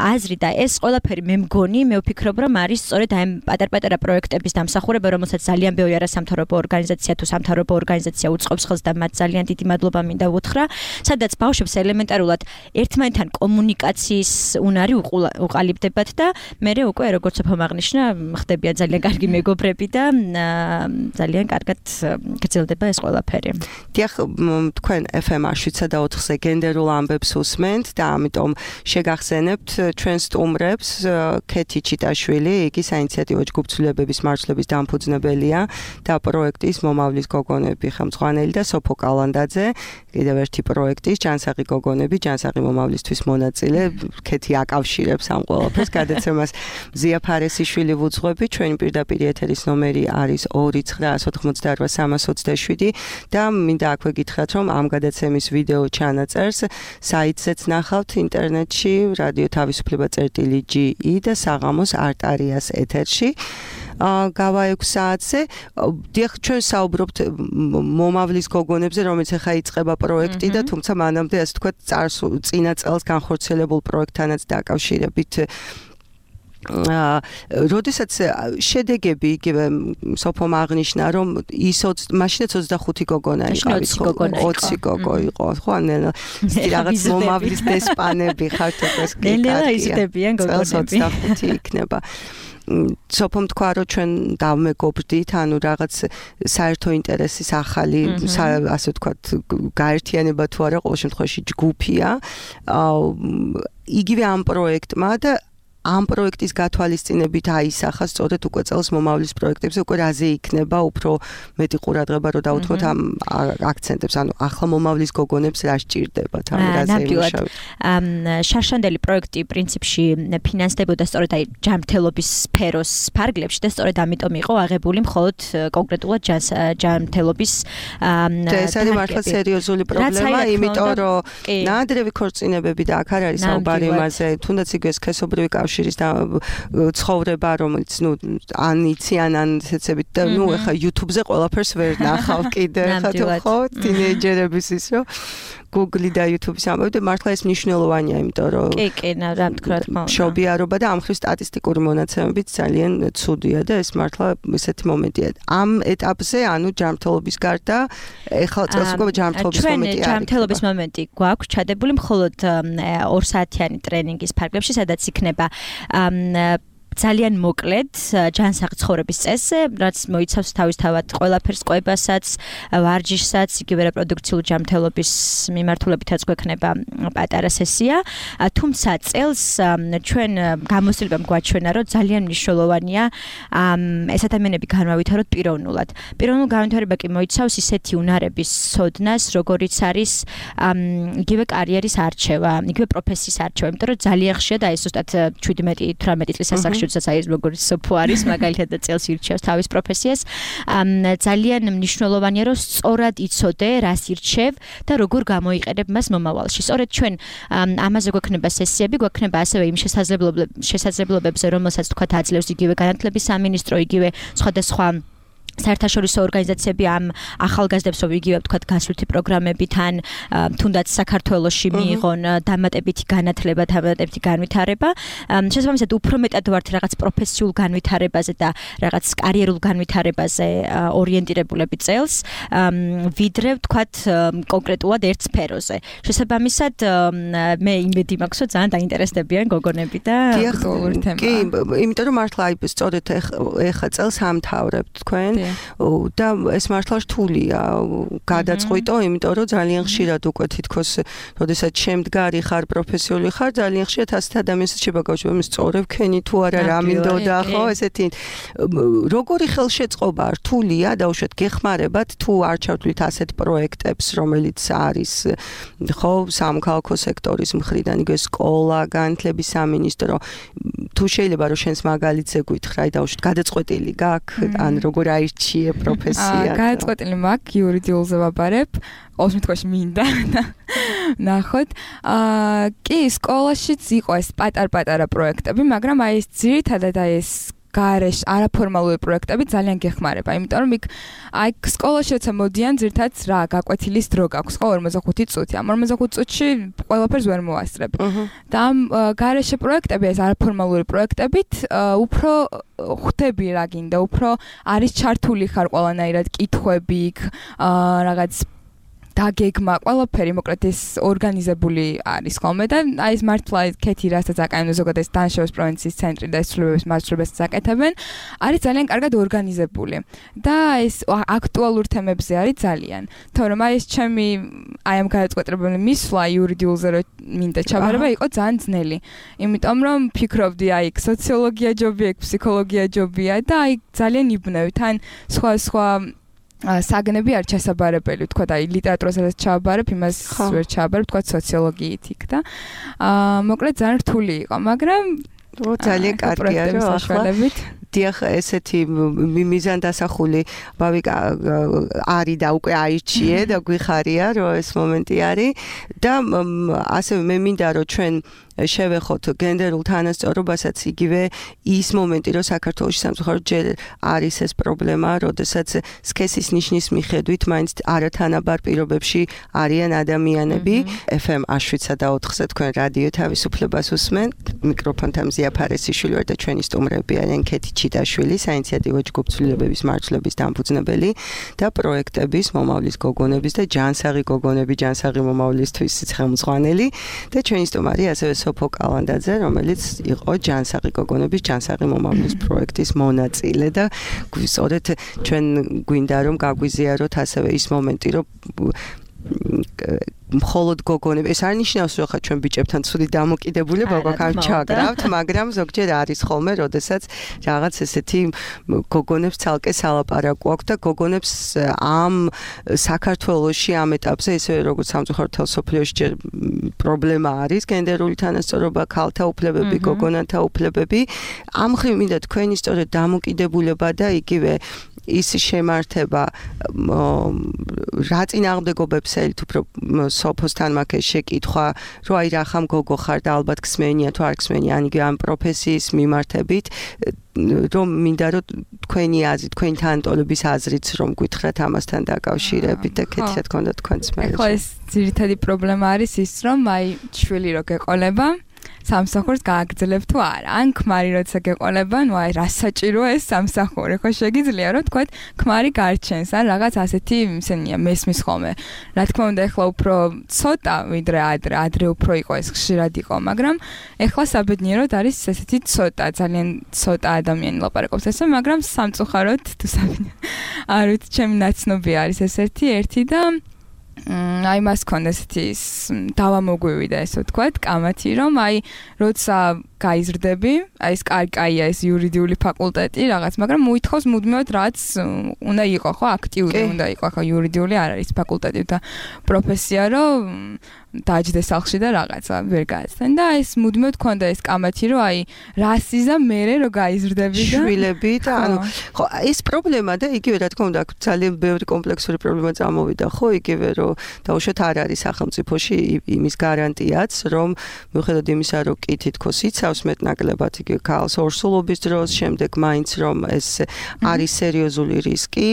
აზრი და ეს ყველაფერი მე მგონი მე ვფიქრობ რომ არის სწორედ აი პატარ-პატარა პროექტების დამსახურება რომელსაც ძალიან ბევრი არასამთავრობო ორგანიზაცია თუ სამთავრობო ორგანიზაცია უწყობს ხელს და მათ ძალიან დიდი მადლობა მინდა ვუთხრა სადაც ბავშვებს ელემენტარულად ერთმანეთთან კომუნიკაციის უნარი უყალიბდებათ და მე უკვე როგორც უფრო აღნიშნა ხდებიან ძალიან კარგი მეგობრები და ძალიან კარგად გრძელდება ეს ყველაფერი.
დიახ, თქვენ ეფ ემ შვიდსა და ოთხზე გენდერულ ამბებს უსმენთ და ამიტომ შეგახსენებთ ჩვენ სტუმრებს ქეთი ჩიტაშვილი, იგი საინიციატივო ჯგუფცვლილებების მარშლების დამფუძნებელია და პროექტის მომავლის გოგონები ხელმძღვანელი და სოფო კალანდაძე, კიდევ ერთი პროექტის ჯანსაღი გოგონები, ჯანსაღი მომავლისთვის მონაწილე, ქეთი აკავშირებს ამ ყველაფერს გადაცემას ზია ფარესიშვილი ვუძღვები, ჩვენი პირდაპირ ეთერის ნომერი არის ორი ცხრა ოთხმოცდაოთხ სამას ოცდაშვიდი და მინდა აქვე გითხრათ, რომ ამ გადაცემის ვიდეო ჩანაწერს საიტზეც ნახავთ ინტერნეტში, რადიო თავისუფლება წერტილი ჯი ი და საღამოს არტარიას ეთერში. გავა ექვს საათზე. დიახ, ჩვენ საუბრობთ მომავლის გოგონებზე, რომელიც ახლა იწყება პროექტი და თუმცა მანამდე ასე თქვა წინა წელს განხორციელებულ პროექტთანაც დაკავშირებით როდესაც შედეგები იგივე სოფომ აღნიშნა რომ ის მაშინაც ოცდახუთი გოგონა იყავით ოცი გოგო იყო ხო ან რაღაც მომავლის დესპანები ხართ ეს კი
ნელა იზრდებიან გოგონები
ოცდახუთი იქნება სოფომ თქვა რომ ჩვენ დავმეგობრდით ანუ რაღაც საერთო ინტერესის ახალი ასე ვთქვათ გაერთიანება თუ არა ყოველ შემთხვევაში ჯგუფია იგივე ამ პროექტმა და ამ პროექტის გათვალისწინებით აისახა სწორედ უკვე წელს მომავლის პროექტებზე უკვე რაზე იქნება უფრო მეტი ყურადღება რომ დავუთმოთ ამ აქცენტებს ანუ ახლა მომავლის გოგონებს რა სჭირდებათ ამ რაზე იმუშავეთ
ამ შარშანდელი პროექტი პრინციპში ფინანსდებოდა სწორედ აი ჯანმრთელობის სფეროს ფარგლებში და სწორედ ამიტომ იყო აღებული მხოლოდ კონკრეტულად ჯანმრთელობის
და ეს არის მართლა სერიოზული პრობლემა იმიტომ რომ ნადრევი ქორწინებები და აქ არ არის საუბარი იმაზე თუნდაც იგივე სქესობრივი კავშირის და ცხოვრება რომელიც ნუ ან იციან ან ესეცებით და ნუ ეხა YouTube-ზე ყველაფერს ვერ ნახავ კიდე ხა თუ ხო თინეიჯერების ის რომ Google და YouTube-ის ამბობ და მართლა ეს მნიშვნელოვანია იმიტომ რომ
კი კი რა თქვა თქმა უნდა
მშობიარობა და ამ ხრივ სტატისტიკური მონაცემებით ძალიან ცუდია და ეს მართლა ესეთი მომენტია ამ ეტაპზე ანუ ჯანმრთელობის გარდა ეხლა წელს უკვე ჯანმრთელობის მომენტი არის
ჯანმრთელობის მომენტი გვაქვს ჩადებული მხოლოდ ორ საათიანი ტრენინგის ფარგლებში სადაც იქნება ძალიან მოკლედ ჯანსაღ ცხოვრების წესზე, რაც მოიცავს თავისთავად ყველაფერს, ყვებასაც, ვარჯიშსაც, იგივე რეპროდუქციული ჯანმრთელობის მიმართულებითაც გვექნება პატარა სესია. თუმცა წელს ჩვენ გამოცდილებამ გვაჩვენა, რომ ძალიან მნიშვნელოვანია ეს ადამიანები განმავითაროთ პიროვნულად. პიროვნულ განვითარება კი მოიცავს ისეთი უნარების სოდნას, როგორიც არის იგივე კარიერის არჩევა, იგივე პროფესიის არჩევა, იმიტომ რომ ძალიან ხშირად აი ზუსტად შვიდმეტი თვრამეტი წლის ასაკში საერთოდ როგორც სოფო არის მაგალითად და წელს ირჩევს თავის პროფესიას ძალიან მნიშვნელოვანია რომ სწორად იცოდე რას ირჩევ და როგორ გამოიყენებ მას მომავალში სწორედ ჩვენ ამაზე გვექნება სესიები გვექნება ასევე იმ შესაძლებლობებზე რომელსაც თქვა აძლევს იგივე განათლების სამინისტრო იგივე სხვადასხვა საერთაშორისო ორგანიზაციები ამ ახალგაზრდებს რომ იგივე ვთქვათ გასვლითი პროგრამებით ან თუნდაც საქართველოში მიიღონ დამატებითი განათლება, დამატებითი განვითარება. შესაბამისად უფრო მეტად ვართ რაღაც პროფესიულ განვითარებაზე და რაღაც კარიერულ განვითარებაზე ორიენტირებულები წელს, ვიდრე ვთქვათ კონკრეტულად ერთ სფეროზე. შესაბამისად მე იმედი მაქვს რომ ძალიან დაინტერესდებიან გოგონები და
აქტუალური თემა.
კი, იმიტომ რომ მართლა აი სწორედ ეხა წელს ამთავრებთ თქვენ და ეს მართლა რთულია გადაწყვიტო, იმიტომ რომ ძალიან ხშირად უკვე თითქოს, როდესაც შემდგარი ხარ, პროფესიული ხარ, ძალიან ხშირად ასეთ ადამიანსაც შეგაგავშობ, მე სწორებ ქენი თუ არა რა მინდოდა, ხო, ესეთი როგორი ხელშეწყობა რთულია, დაუშვათ გეხმარებათ თუ არჩევთ ასეთ პროექტებს, რომელიც არის ხო, სამოქალაქო სექტორის მხრიდან, იგივე სკოლა, განათლების სამინისტრო, თუ შეიძლება რომ შენს მაგალითზე გითხრა, დაუშვათ გადაწყვეტილი გაქვს, ან როგორ აირჩიე პროფესია.
გადაწყვეტილი მაქვს იურიდიულზე ვაბარებ. ყოველ შემთხვევაში მინდა ნახოთ. აა კი, სკოლაშიც იყო ეს პატარ-პატარა პროექტები, მაგრამ აი ეს ძირითადად აი ეს გარეშ არაფორმალური პროექტები ძალიან გეხმარება, იმიტომ რომ იქ აი სკოლაში როცა მოდიან ძირითადად რა გაკვეთილის დრო გაქვს, ხო ორმოცდახუთი წუთი. ამ ორმოცდახუთი წუთში ყველაფერს ვერ მოასწრებ. და ამ გარეშე პროექტები ეს არაფორმალური პროექტებით უფრო ხვდები რა გინდა, უფრო არის ჩართული ხარ ყველანაირად კითხვები იქ რაღაც დაგეგმა ყველაფერი მოკლედ ეს ორგანიზებული არის ხოლმე და აი ეს მართლა კეთი რასაც აკეთებენ ზოგადად ეს დანაშაულის პროვინციის ცენტრი და ეს ცვლილებების მასშტაბებსაც აკეთებენ არის ძალიან კარგად ორგანიზებული და ეს აქტუალურ თემებზე არის ძალიან თორემ აი ეს ჩემი აი ამ გადაწყვეტილებული მისვლა იურიდიულზე რომ მინდა ჩაბარება იყო ძალიან ძნელი იმიტომ რომ ფიქრობდი აი სოციოლოგია ჯობია ფსიქოლოგია ჯობია და აი ძალიან იბნევი თან სხვა სხვა საგნები არ ჩასაბარებელი, თქვა და ლიტერატურასაც ჩავაბარებ, იმას ვერ ჩავაბარებ, თქვა სოციოლოგიით იქ და აა მოკლედ ძალიან რთული იყო, მაგრამ
ძალიან კარგია რომ ახლა დიახ ესეთი მიზანდასახული ბავი არის და უკვე აირჩიე და გვიხარია რომ ეს მომენტი არის და ასევე მე მინდა რომ ჩვენ შევეხოთ გენდერულ თანასწორობასაც იგივე ის მომენტი, რომ საქართველოში სამწუხაროდ ჯერ არის ეს პრობლემა, როდესაც სქესის ნიშნის მიხედვით მაინც არათანაბარ პირობებში არიან ადამიანები. ეფ ემ შვიდსა და ოთხზე თქვენ რადიო თავისუფლებას უსმენთ. მიკროფონთან მზია ფარესიშვილი ვარ და ჩვენი სტუმრები არიან ქეთი ჩიტაშვილი, საინიციატივო ჯგუფ ცვლილებების მარცვლების დამფუძნებელი და პროექტების, მომავლის გოგონების და ჯანსაღი გოგონები, ჯანსაღი მომავლისთვის ხელმძღვანელი და ჩვენი სტუმარი ასევე სოფო კალანდაძე, რომელიც იყო ჯანსაღი გოგონების, ჯანსაღი მომავლის პროექტის მონაწილე და სწორედ ჩვენ გვინდა რომ გაგვიზიაროთ ასევე ის მომენტი, რომ მხოლოდ გოგონები, ეს არ ნიშნავს, რომ ხა ჩვენ ბიჭებთან ცუდი დამოკიდებულება გვაქვს ჩაგრავთ, მაგრამ ზოგჯერ არის ხოლმე, როდესაც რაღაც ესეთი გოგონებს ცალკე სალაპარაკო აქვს და გოგონებს ამ საქართველოში ამ ეტაპზე ისე როგორც სამწუხაროდ თელ სოფლიოში ჯერ პრობლემა არის გენდერული თანასწორობა, ქალთა უფლებები, გოგონათა უფლებები. ამ მხრივ მინდა თქვენი სწორედ დამოკიდებულება და იგივე ის შემართება რა წინააღმდეგობებს ელით უფრო სოფოსთან მაქვს შეკითხვა, რომ აი რა ხამ გოგო ხარ და ალბათ ქსმენია თუ არ ქსმენია, ან იგივე ამ პროფესიის მიმართებით, რომ მინდა რომ თქვენი აზრი, თქვენი თანატოლების აზრიც რომ გითხრათ ამასთან დაკავშირებით და ქეთი რა თქონდა თქვენც მე.
ეხლა ეს ძირითადი პრობლემა არის ის, რომ აი შვილი რო გეყოლება სამსახურს გააგრძელებ თუ არა. ან ქმარი როცა გეყოლება, ნუ აი რა საჭიროა ეს სამსახური, ხო შეგიძლია რომ თქვათ ქმარი გარჩენს, ან რაღაც ასეთი ისენია მესმის ხოლმე. რა თქმა უნდა, ეხლა უფრო ცოტა ვიდრე ადრე, ადრე უფრო იყო ეს ხშირად იყო, მაგრამ ეხლა საბედნიეროდ არის ესეთი ცოტა, ძალიან ცოტა ადამიანი ლაპარაკობს ესე, მაგრამ სამწუხაროდ თუ საბედნიეროდ არ ვიცი, ჩემი ნაცნობი არის ეს ერთი ერთი და აი მას ქონდა ესეთი დავამოგვივიდა ესე ვთქვათ, კამათი, რომ აი როცა გაიზრდები, აი ეს კაია ეს იურიდიული ფაკულტეტი რაღაც, მაგრამ მოითხოვს მუდმივად რაც უნდა იყო, ხო, აქტიური უნდა იყო, ხო, იურიდიული არ არის ფაკულტეტი და პროფესია, რომ დაჯდე სახლში და რაღაცა ვერ გააცდენ და ეს მუდმივად ქონდა ეს კამათი, რომ აი რასიზა მერე რომ გაიზრდები და
შვილები და ანუ ხო ეს პრობლემა და იგივე რა თქმა უნდა ძალიან ბევრი კომპლექსური პრობლემა წამოვიდა, ხო, იგივე რომ დაუშვათ არ არის სახელმწიფოში იმის გარანტიაც, რომ მიუხედავად იმისა, რომ კი თითქოს იცავს მეტნაკლებად იგივე ქალს ორსულობის დროს, შემდეგ მაინც რომ ეს არის სერიოზული რისკი,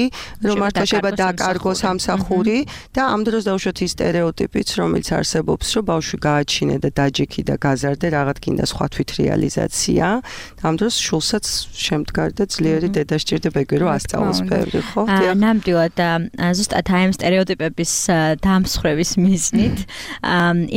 რომ მართლა შეიძლება დაკარგოს სამსახური და ამ დროს დაუშვათ ის სტერეოტიპიც, რომელიც არსებობს, რომ ბავშვი გააჩინე და დაჯექი და გაზარდე, რაღაც კიდე სხვა თვითრეალიზაცია. ამ დროს შულსაც შემდგარ და ძლიერი დედა სჭირდება ეგრე რომ ასწავლოს ბევრი, ხო?
ნამდვილად ზუსტად აი ამ სტერეოტიპების დამსხრევის მიზნით,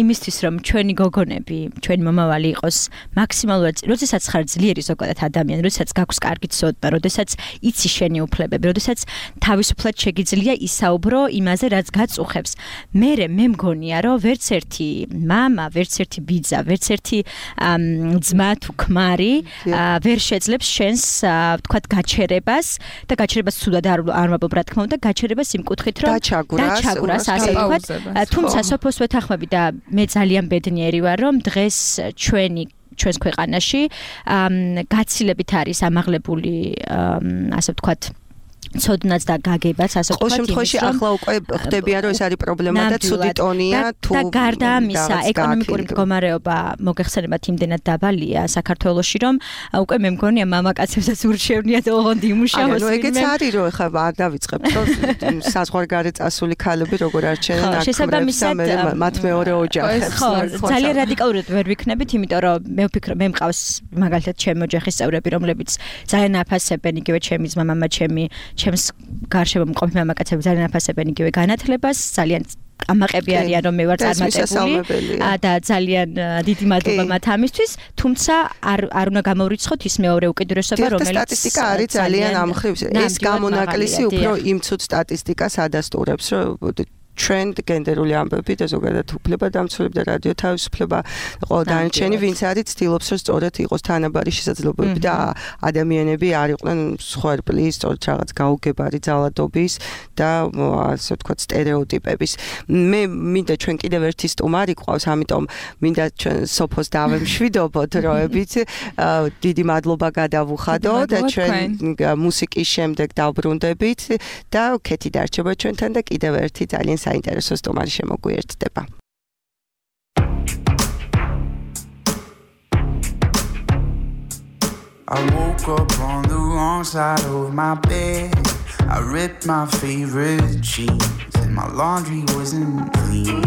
იმისთვის რომ ჩვენი გოგონები, ჩვენი მომავალი იყოს მაქსიმალურად, როდესაც ხარ ძლიერი ზოგადად ადამიანი, როდესაც გაქვს კარგი ცოდნა, როდესაც იცი შენი უფლებები, როდესაც თავისუფლად შეგიძლია ისაუბრო იმაზე, რაც გაწუხებს. მე მე მგონია, რომ ვერც ერთი მამა, ვერც ერთი ბიძა, ვერც ერთი ძმა თუ ქმარი ვერ შეძლებს შენს ვთქვათ გაჩერებას და გაჩერებას ცუდად არ არ ვაბობ რა თქმა უნდა, გაჩერებას იმ კუთხით რომ დაჩაგვრას ასე ვთქვათ. თუმცა სოფოს ვეთანხმები და მე ძალიან ბედნიერი ვარ, რომ დღეს ჩვენი ჩვენს ქვეყანაში გაცილებით არის ამაღლებული ასე ვთქვათ ცოდნაც და გაგებაც ასე ვთქვათ.
ყოველ შემთხვევაში ახლა უკვე ხდებიან რომ ეს არის პრობლემა და ცუდი ტონია თუ
და გარდა ამისა ეკონომიკური მდგომარეობა მოგეხსენებათ იმდენად დაბალია საქართველოში რომ უკვე მე მგონია მამაკაცებსაც ურჩევნიათ ოღონდ იმუშაოს.
ანუ ეგეც არის რომ ახლა არ დავიწყებთ რომ საზღვარგარეთ წასული ქალები როგორ არჩენენ აქტიურებს და მათ მეორე ოჯახებს.
ხო, ძალიან რადიკალურად ვერ ვიქნებით, იმიტომ რომ მე ვფიქრობ მე მყავს მაგალითად ჩემი ოჯახის წევრები, რომლებიც ძალიან აფასებენ იგივე ჩემი ძმა, მამა, ჩემი ჩემს გარშემო მყოფი მამაკაცები ძალიან აფასებენ იგივე განათლებას, ძალიან ამაყები არიან რომ მე ვარ წარმატებული და ძალიან დიდი მადლობა მათ ამისთვის, თუმცა არ არ უნდა გამოვრიცხოთ ის მეორე უკიდურესობა, რომელიც
სტატისტიკა არის ძალიან ამ მხრივ ეს გამონაკლისი უფრო იმ ცუდ სტატისტიკას ადასტურებს, რომ trend გენდერული ამბები და ზოგადად უფლება დამცველები და რადიო თავისუფლება ყოველ დანარჩენი ვინც არის ცდილობს რომ სწორედ იყოს თანაბარი შესაძლებლობები და ადამიანები არ იყვნენ სხვერპლის სწორედ რაღაც გაუგებარი ძალადობის და ასე ვთქვათ სტერეოტიპების. მე მინდა ჩვენ კიდევ ერთი სტუმარი ყავს, ამიტომ მინდა ჩვენ სოფოს დავემშვიდობოთ როებით დიდი მადლობა გადავუხადო და ჩვენ მუსიკის შემდეგ დავბრუნდებით და ქეთი დარჩება ჩვენთან და კიდევ ერთი ძალიან საინტერესო სტუმარი შემოგვიერთდება.
I woke up on the wrong side of my bed. I ripped my favorite jeans and my laundry wasn't clean.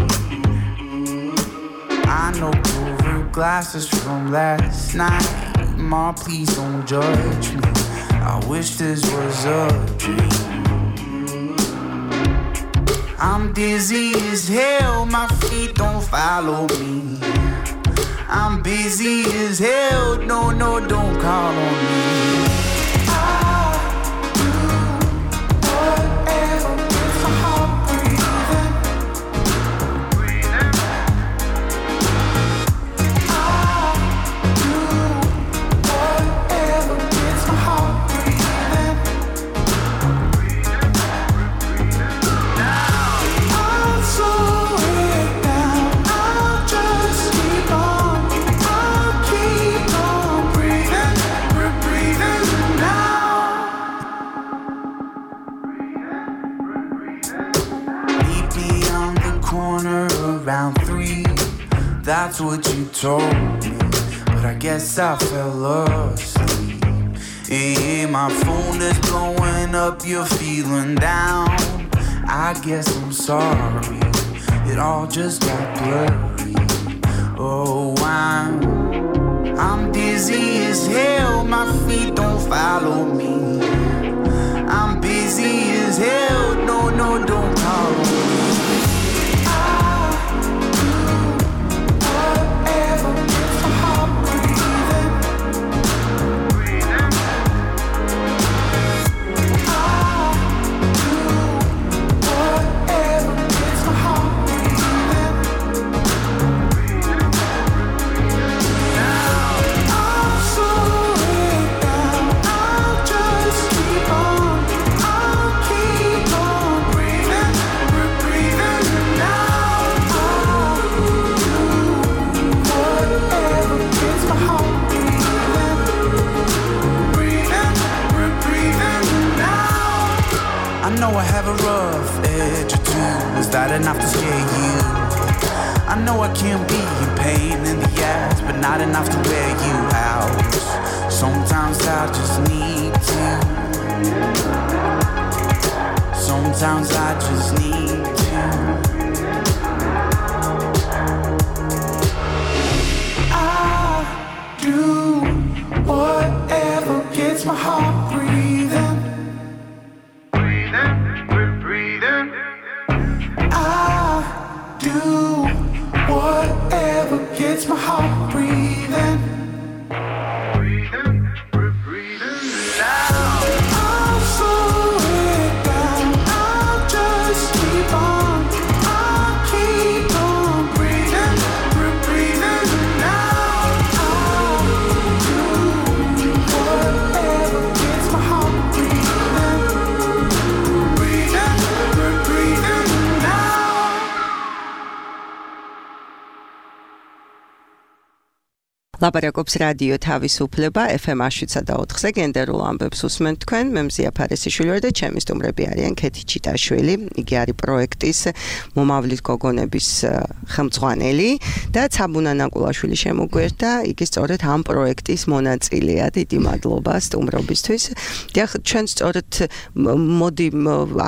I knocked over glasses from last night. Ma, please don't judge me. I wish this was a dream. I'm dizzy as hell, my feet don't follow me. I'm busy as hell, no, no, don't call on me. Around three, that's what you told me, but I guess I fell asleep. Yeah, my phone is blowing up, you're feeling down. I guess I'm sorry, it all just got blurry. Oh, I'm, I'm dizzy as hell, my feet don't follow me. I'm busy as hell, no, no, don't call on me. I know I have a rough edge or two. Is that enough to scare you? I know I can be a pain in the ass, but not enough to wear you out. Sometimes I just need to. Sometimes I just need to. I do whatever gets my heart breathing. Whatever gets my heart breathing. Breathing, breathing now. I'll slow it down. I'll just keep on. I'll keep on breathing, breathing now. I'll do whatever gets my heart breathing. Breathing, breathing now.
ლაპარაკობს რადიო თავისუფლება ეფ ემ შვიდსა და ოთხზე გენდერულ ამბებს უსმენთ თქვენ. მე მზია ფარესიშვილი ვარ და ჩემი სტუმრები არიან ქეთი ჩიტაშვილი, იგი არის პროექტის მომავლის გოგონების ხელმძღვანელი და ცაბუნა ნაკულაშვილი შემოგვერდა, იგი სწორედ ამ პროექტის მონაწილეა. დიდი მადლობა სტუმრობისთვის. დიახ, ჩვენ სწორედ მოდი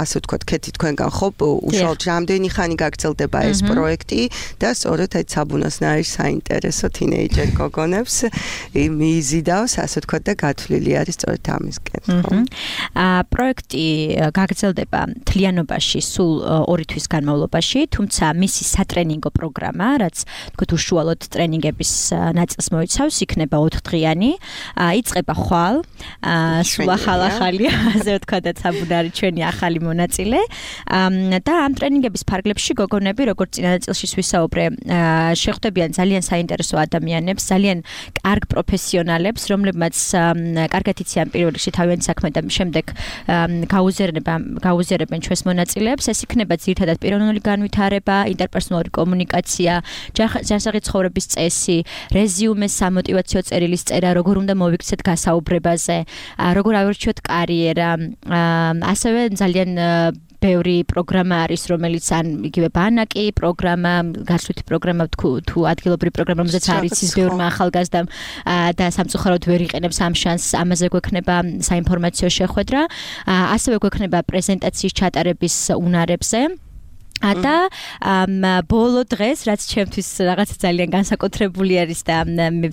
ასე ვთქვათ, ქეთი თქვენგან ხო უშუალოდ რამდენი ხანი გაგრძელდება ეს პროექტი და სწორედ აი ცაბუნასთან არის საინტერესო თინეიჯერ გოგო მიიზიდავს, ასე ვთქვათ და გათვლილი არის სწორედ ამისკენ.
აა პროექტი გაგრძელდება მთლიანობაში სულ ორი თვის განმავლობაში, თუმცა მისი სატრენინგო პროგრამა, რაც თქო უშუალოდ ტრენინგების ნაწილს მოიცავს, იქნება ოთხდღიანი. იწყება ხვალ, სულ ახალ-ახალი, ასე ვთქვათ და ცაბუნარი ჩვენი ახალი მონაწილე. და ამ ტრენინგების ფარგლებში გოგონები, როგორც წინა ნაწილში ვისაუბრე, შეხვდებიან ძალიან საინტერესო ადამიანებს, ძალიან კარგ პროფესიონალებს, რომლებმაც კარგად იციან პირველ რიგში თავიანთი საქმე და შემდეგ გაუზიარებენ ჩვენს მონაწილეებს. ეს იქნება ძირითადად პიროვნული განვითარება, ინტერპერსონალური კომუნიკაცია, ჯანსაღი ცხოვრების წესი, რეზიუმე, სამოტივაციო წერილის წერა, როგორ უნდა მოვიქცეთ გასაუბრებაზე, როგორ ავირჩიოთ კარიერა, ასევე ძალიან ბევრი პროგრამა არის, რომელიც ან იგივე ბანაკი პროგრამა, გასვლითი პროგრამა თუ ადგილობრივი პროგრამა, რომელზეც არის ის ბევრმა ახალგაზრდამ და სამწუხაროდ ვერ იყენებს ამ შანსს, ამაზე გვექნება საინფორმაციო შეხვედრა, ასევე გვექნება პრეზენტაციის ჩატარების უნარებზე. და ბოლო დღეს, რაც ჩემთვის რაღაც ძალიან განსაკუთრებული არის და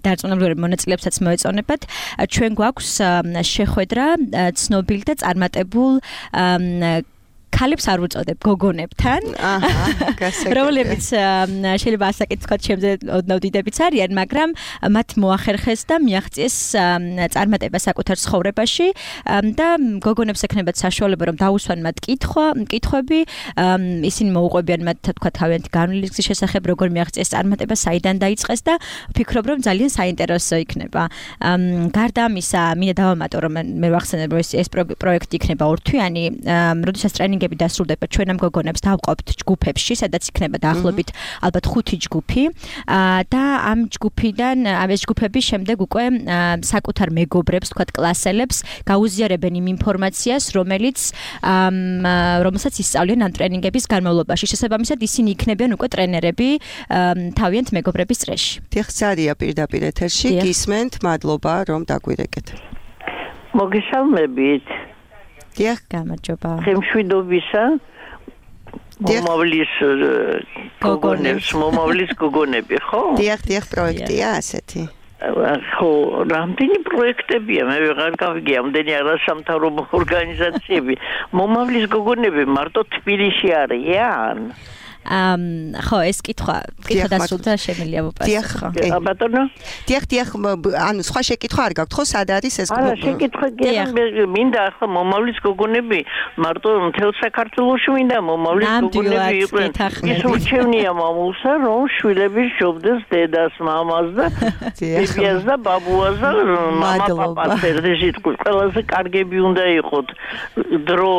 დარწმუნებული მონაწილეებსაც მოეწონებათ, ჩვენ გვაქვს შეხვედრა ცნობილ და წარმატებულ ქალებს არ ვუწოდებ გოგონებთან. აჰა, გასაგებია. რომლებიც შეიძლება ასაკით თქვა ჩემზე ოდნავ დიდებიც არიან, მაგრამ მათ მოახერხეს და მიაღწიეს წარმატება საკუთარ ცხოვრებაში და გოგონებს ექნებათ საშუალება რომ დაუსვან მათ კითხვა, კითხვები, ისინი მოუყვებიან მათ თქვა თავიანთი განვლილი გზის შესახებ, როგორ მიაღწიეს წარმატება, საიდან დაიწყეს და ვფიქრობ რომ ძალიან საინტერესო იქნება. გარდა ამისა, მინდა დავამატო რომ მე ვახსენებ რომ ეს პროექტი იქნება ორთვიანი, როდესაც ტრენინგები დასრულდება ჩვენ ამ გოგონებს დავყავთ ჯგუფებში, სადაც იქნება დაახლოებით ალბათ ხუთი ჯგუფი და ამ ჯგუფიდან ამ ეს ჯგუფები შემდეგ უკვე საკუთარ მეგობრებს, თქვათ კლასელებს გაუზიარებენ იმ ინფორმაციას, რომელიც რომელსაც ისწავლიან ამ ტრენინგების განმავლობაში. შესაბამისად ისინი იქნებიან უკვე ტრენერები თავიანთ მეგობრების წრეში.
დიახ, ზარია პირდაპირ ეთერში, გისმენთ, მადლობა რომ დაგვირეკეთ.
მოგესალმებით.
დიახ,
გამარჯობა.
ხემშვიდობისა მომავლის გოგონებს, მომავლის გოგონები, ხო?
დიახ, დიახ, პროექტია ასეთი.
ხო, რამდენი პროექტებია, მე ვეღარ გავიგე, ამდენი არასამთავრობო ორგანიზაციები. მომავლის გოგონები მარტო თბილისში არიან?
ამ ხო ეს კითხვა კითხვა დასრულდა შემიძლია ვუპასუხო.
დიახ, ბატონო.
დიახ, დიახ, ანუ სხვა შეკითხვა არ გაქვთ, ხო, სად არის ეს?
არა, შეკითხვა გიახ, მინდა ახლა მომავლის გოგონები მარტო მთელ საქართველოში მინდა მომავლის გოგონები იყვნენ. ის ურჩევნია მამულსა, რომ შვილები შობდეს დედას, მამას და ბებიას და ბაბუას და მამა-პაპას ერთად იტყვი. ყველაზე კარგები უნდა იყოთ. დრო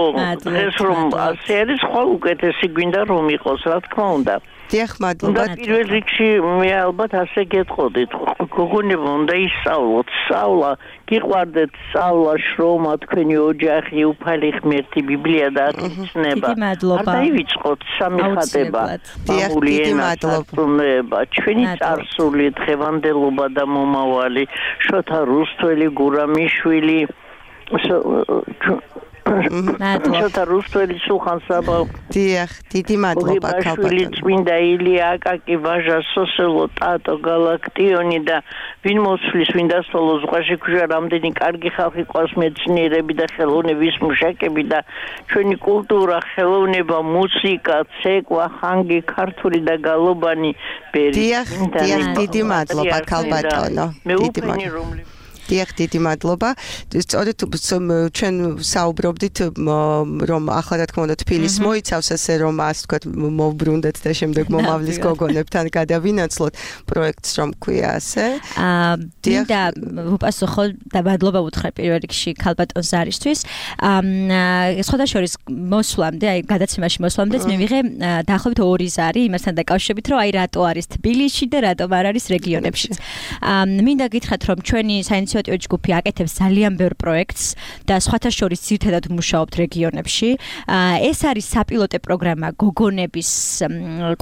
დღეს რომ ასე არის, ხვალ უკეთესი გვინდა რომ იყოს. რა თქმა უნდა.
დიახ, მადლობა.
პირველ რიგში მე ალბათ ასე გეტყოდით. გოგონებმა უნდა ისწავლოთ, სწავლა, გიყვარდეთ სწავლა, შრომა, თქვენი ოჯახი, უფალი ღმერთი, ბიბლია და ათწნება.
დიდი მადლობა.
არ დაივიწყოთ სამი ხატება.
დიახ, დიდი
მადლობა. ჩვენი წარსული, დღევანდელობა და მომავალი, შოთა რუსთველი, გურამიშვილი, შოთა რუსთველი, სულხან საბა.
დიახ, დიდი მადლობა
ქალბატონო. წმინდა ილია აკაკი, ვაჟა სოსელო, ტატო გალაქტიონი და ვინ მოსვლის, ვინ დასწავლოს ზღვაში ქუჟა, რამდენი კარგი ხალხი ყავს მეცნიერები და ხელოვნების მუშაკები და ჩვენი კულტურა, ხელოვნება, მუსიკა, ცეკვა, ხანგი, ქართული და გალობანი ბერი.
დიახ, დიახ, დიდი მადლობა ქალბატონო. დიდი მადლობა. დიახ, დიდი მადლობა. სწორედ ჩვენ საუბრობდით რომ ახლა რა თქმა უნდა თბილისს მოიცავს ასე რომ ასე ვთქვათ მოვბრუნდეთ და შემდეგ მომავლის გოგონებთან გადავინაცვლოთ პროექტს რომ ქვია ასე.
აა მინდა ვუპასუხო და მადლობა ვუთხრა პირველ რიგში ქალბატონ ზარისთვის. აა სხვათა შორის მოსვლამდე, აი გადაცემაში მოსვლამდეც მე ვიღე დაახლოებით ორი ზარი იმასთან დაკავშირებით რომ აი რატო არის თბილისში და რატომ არ არის რეგიონებში. აა მინდა გითხრათ რომ ჩვენი საინიციატივო ჯგუფი აკეთებს ძალიან ბევრ პროექტს და სხვათა შორის ძირითადად მუშაობთ რეგიონებში. ეს არის საპილოტე პროგრამა გოგონების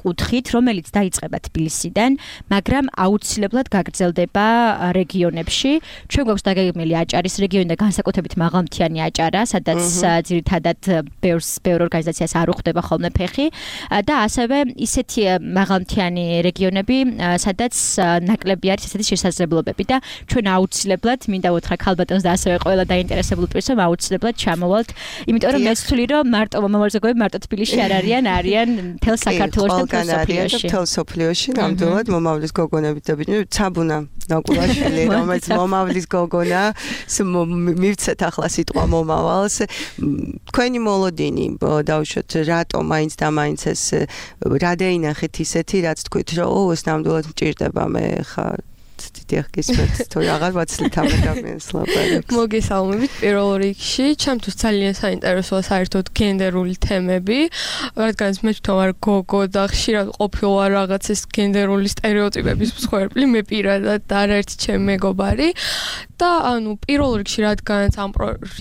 კუთხით, რომელიც დაიწყება თბილისიდან, მაგრამ აუცილებლად გაგრძელდება რეგიონებში. ჩვენ გვაქვს დაგეგმილი აჭარის რეგიონი და განსაკუთრებით მაღალმთიანი აჭარა, სადაც ძირითადად ბევრ ბევრ ორგანიზაციას არ უხდება ხოლმე ფეხი და ასევე ისეთი მაღალმთიანი რეგიონები, სადაც ნაკლები არის ესეთი შესაძლებლობები და ჩვენ აუცილებლად მინდა ვუთხრა ქალბატონს და ასევე ყველა დაინტერესებულ პირს რომ აუცილებლად ჩამოვალთ, იმიტომ რომ მე ვთვლი რომ მარტო მომავალ ზოგები მარტო თბილისში არ არიან, არიან მთელ საქართველოში და მთელ სოფლიოში.
მთელ სოფლიოში ნამდვილად მომავლის გოგონები და ბიჭები ცაბუნა ნაკულაშვილი, რომელიც მომავლის გოგონა, მივცეთ ახლა სიტყვა მომავალს. თქვენი მოლოდინი დავუშვათ რატო მაინც და მაინც ეს რა დაინახეთ ისეთი, რაც თქვით რომ ო ეს ნამდვილად მჭირდება მე ხა დიდიახ გისმენთ თუ აღარ ვაცლით ამ ადამიანს ლაპარაკს.
მოგესალმებით პირველ რიგში, ჩემთვის ძალიან საინტერესოა საერთოდ გენდერული თემები, რადგან მე თვითონ ვარ გოგო და ხშირად ყოფილა რაღაც ეს გენდერული სტერეოტიპების მსხვერპლი, მე პირადად და არაერთი ჩემი მეგობარი და ანუ პირველ რიგში რადგანაც ამ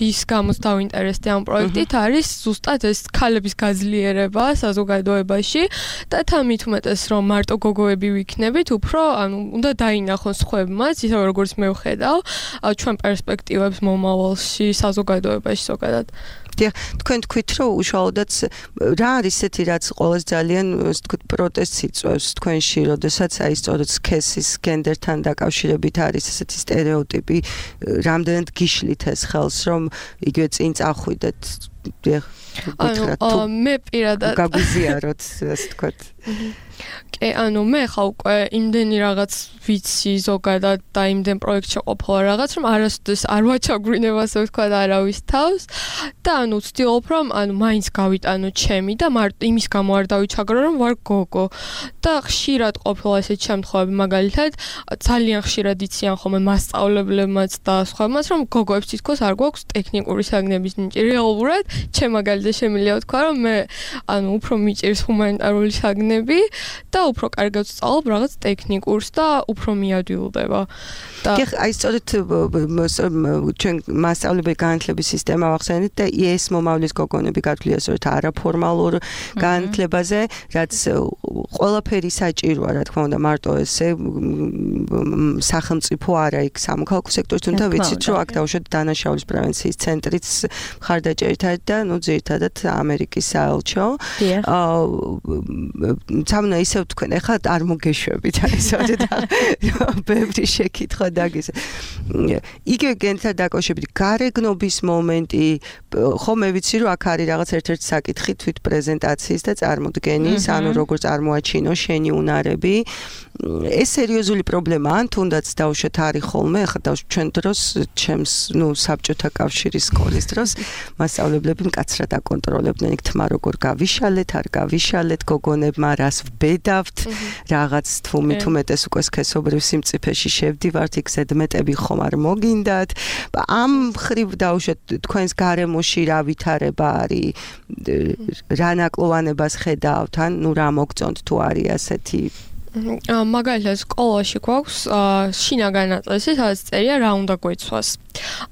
რის გამოც დავინტერესდი ამ პროექტით არის ზუსტად ეს ქალების გაძლიერება საზოგადოებაში და თან მით უმეტეს რომ მარტო გოგოები ვიქნებით, უფრო ანუ უნდა დაინახონ სხვებმაც, ისე როგორც მე ვხედავ ჩვენ პერსპექტივებს მომავალში საზოგადოებაში ზოგადად.
დიახ, თქვენ თქვით რომ უშუალოდაც რა არის ესეთი რაც ყოველს ძალიან ასე ვთქვით პროტესტს იწვევს თქვენში, როდესაც აი სწორედ სქესის გენდერთან დაკავშირებით არის ესეთი სტერეოტიპი, რამდენად გიშლით ეს ხელს რომ იგივე წინ წახვიდეთ. დიახ,
ანუ მე პირადად
გაგვიზიაროთ ასე ვთქვით.
კი, ანუ მე ხა უკვე იმდენი რაღაც ვიცი ზოგადად და იმდენ პროექტში ყოფილა რაღაც, რომ არასოდეს არ ვაჩაგვრინება ასე ვთქვათ არავის თავს და ანუ ვცდილობ რომ ანუ მაინც გავიტანო ჩემი და მარტო იმის გამო არ დავიჩაგრო რომ ვარ გოგო და ხშირად ყოფილა ესეთი შემთხვევები მაგალითად ძალიან ხშირად იციან ხოლმე მასწავლებლებმაც და სხვებმაც რომ გოგოებს თითქოს არ გვაქვს ტექნიკური საგნების ნიჭი. რეალურად ჩემ მაგალითად შემიძლია ვთქვა რომ მე ანუ უფრო მიჭირს ჰუმანიტარული საგნები და უფრო კარგად ვსწავლობ რაღაც ტექნიკურს და უფრო მიადვილდება. და
კი, აი სწორედ ჩვენ მასწავლებელი განათლების სისტემა ვახსენეთ და ეს მომავლის გოგონები გაგვიძლია სწორედ არაფორმალურ განათლებაზე, რაც ყველაფერი საჭიროა, რა თქმა უნდა, მარტო ესე სახელმწიფო არა იქ სამოქალაქო სექტორის, თუმცა ვიცით რომ აქ დავუშვათ დანაშაულის პრევენციის ცენტრიც მხარდაჭერით არის და ნუ ძირითადად ამერიკის საელჩო. აა სამნა ისე თქვენ ახლა არ მოგეშვებით აი სწორედ ბევრი შეკითხვა დაგის. იგივე გენდერთან დაკავშირებით გარეგნობის მომენტი, ხო მე ვიცი რომ აქ არის რაღაც ერთ-ერთი საკითხი თვით პრეზენტაციის და წარმოდგენის, ანუ როგორ წარმოაჩინო შენი უნარები. ეს სერიოზული პრობლემაა, ან თუნდაც დავუშვათ არის ხოლმე, ახლა დავუშვათ ჩვენ დროს, ჩემს, ნუ საბჭოთა კავშირის სკოლის დროს მასწავლებლები მკაცრად აკონტროლებდნენ იქ თმა როგორ გავიშალეთ, არ გავიშალეთ, გოგონებმა რას ვბედავთ, რაღაც თუ მით უმეტეს უკვე სქესობრივ სიმწიფეში შევდივართ, იქ ზედმეტები ხომ არ მოგინდათ. ამ ხრივ დავუშვათ თქვენს გარემოში რა ვითარება არის, რა ნაკლოვანებას ხედავთ, ან ნუ რა მოგწონთ თუ არის ასეთი
მაგალითად სკოლაში გვაქვს შინაგანი ნაწილი, სადაც წერია რა უნდა გვეცვას.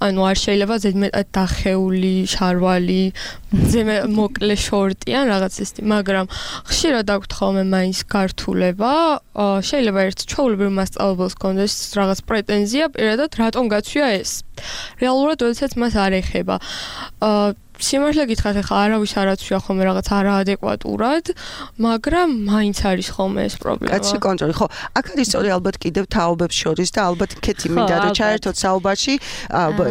ანუ არ შეიძლება ზედმეტად დახეული, შარვალი, ზემე მოკლე შორტი ან რაღაც ისეთი, მაგრამ ხშირად აქვთ ხოლმე მაინც გართულება, შეიძლება ერთ ჩვეულებრივ მასწავლებელს კონდეს რაღაც პრეტენზია, პირადად რატომ გაცვია ეს. რეალურად როდესაც მას არ ეხება. სიმართლე გითხრათ, ახლა არავის არ აცვია ხოლმე რაღაც არაადეკვატურად, მაგრამ მაინც არის ხოლმე ეს პრობლემა.
კაცი კონტროლი, ხო, აქ არის სწორი ალბათ კიდევ თაობებს შორის და ალბათ კეთი მინდა რომ ჩაერთოთ საუბარში,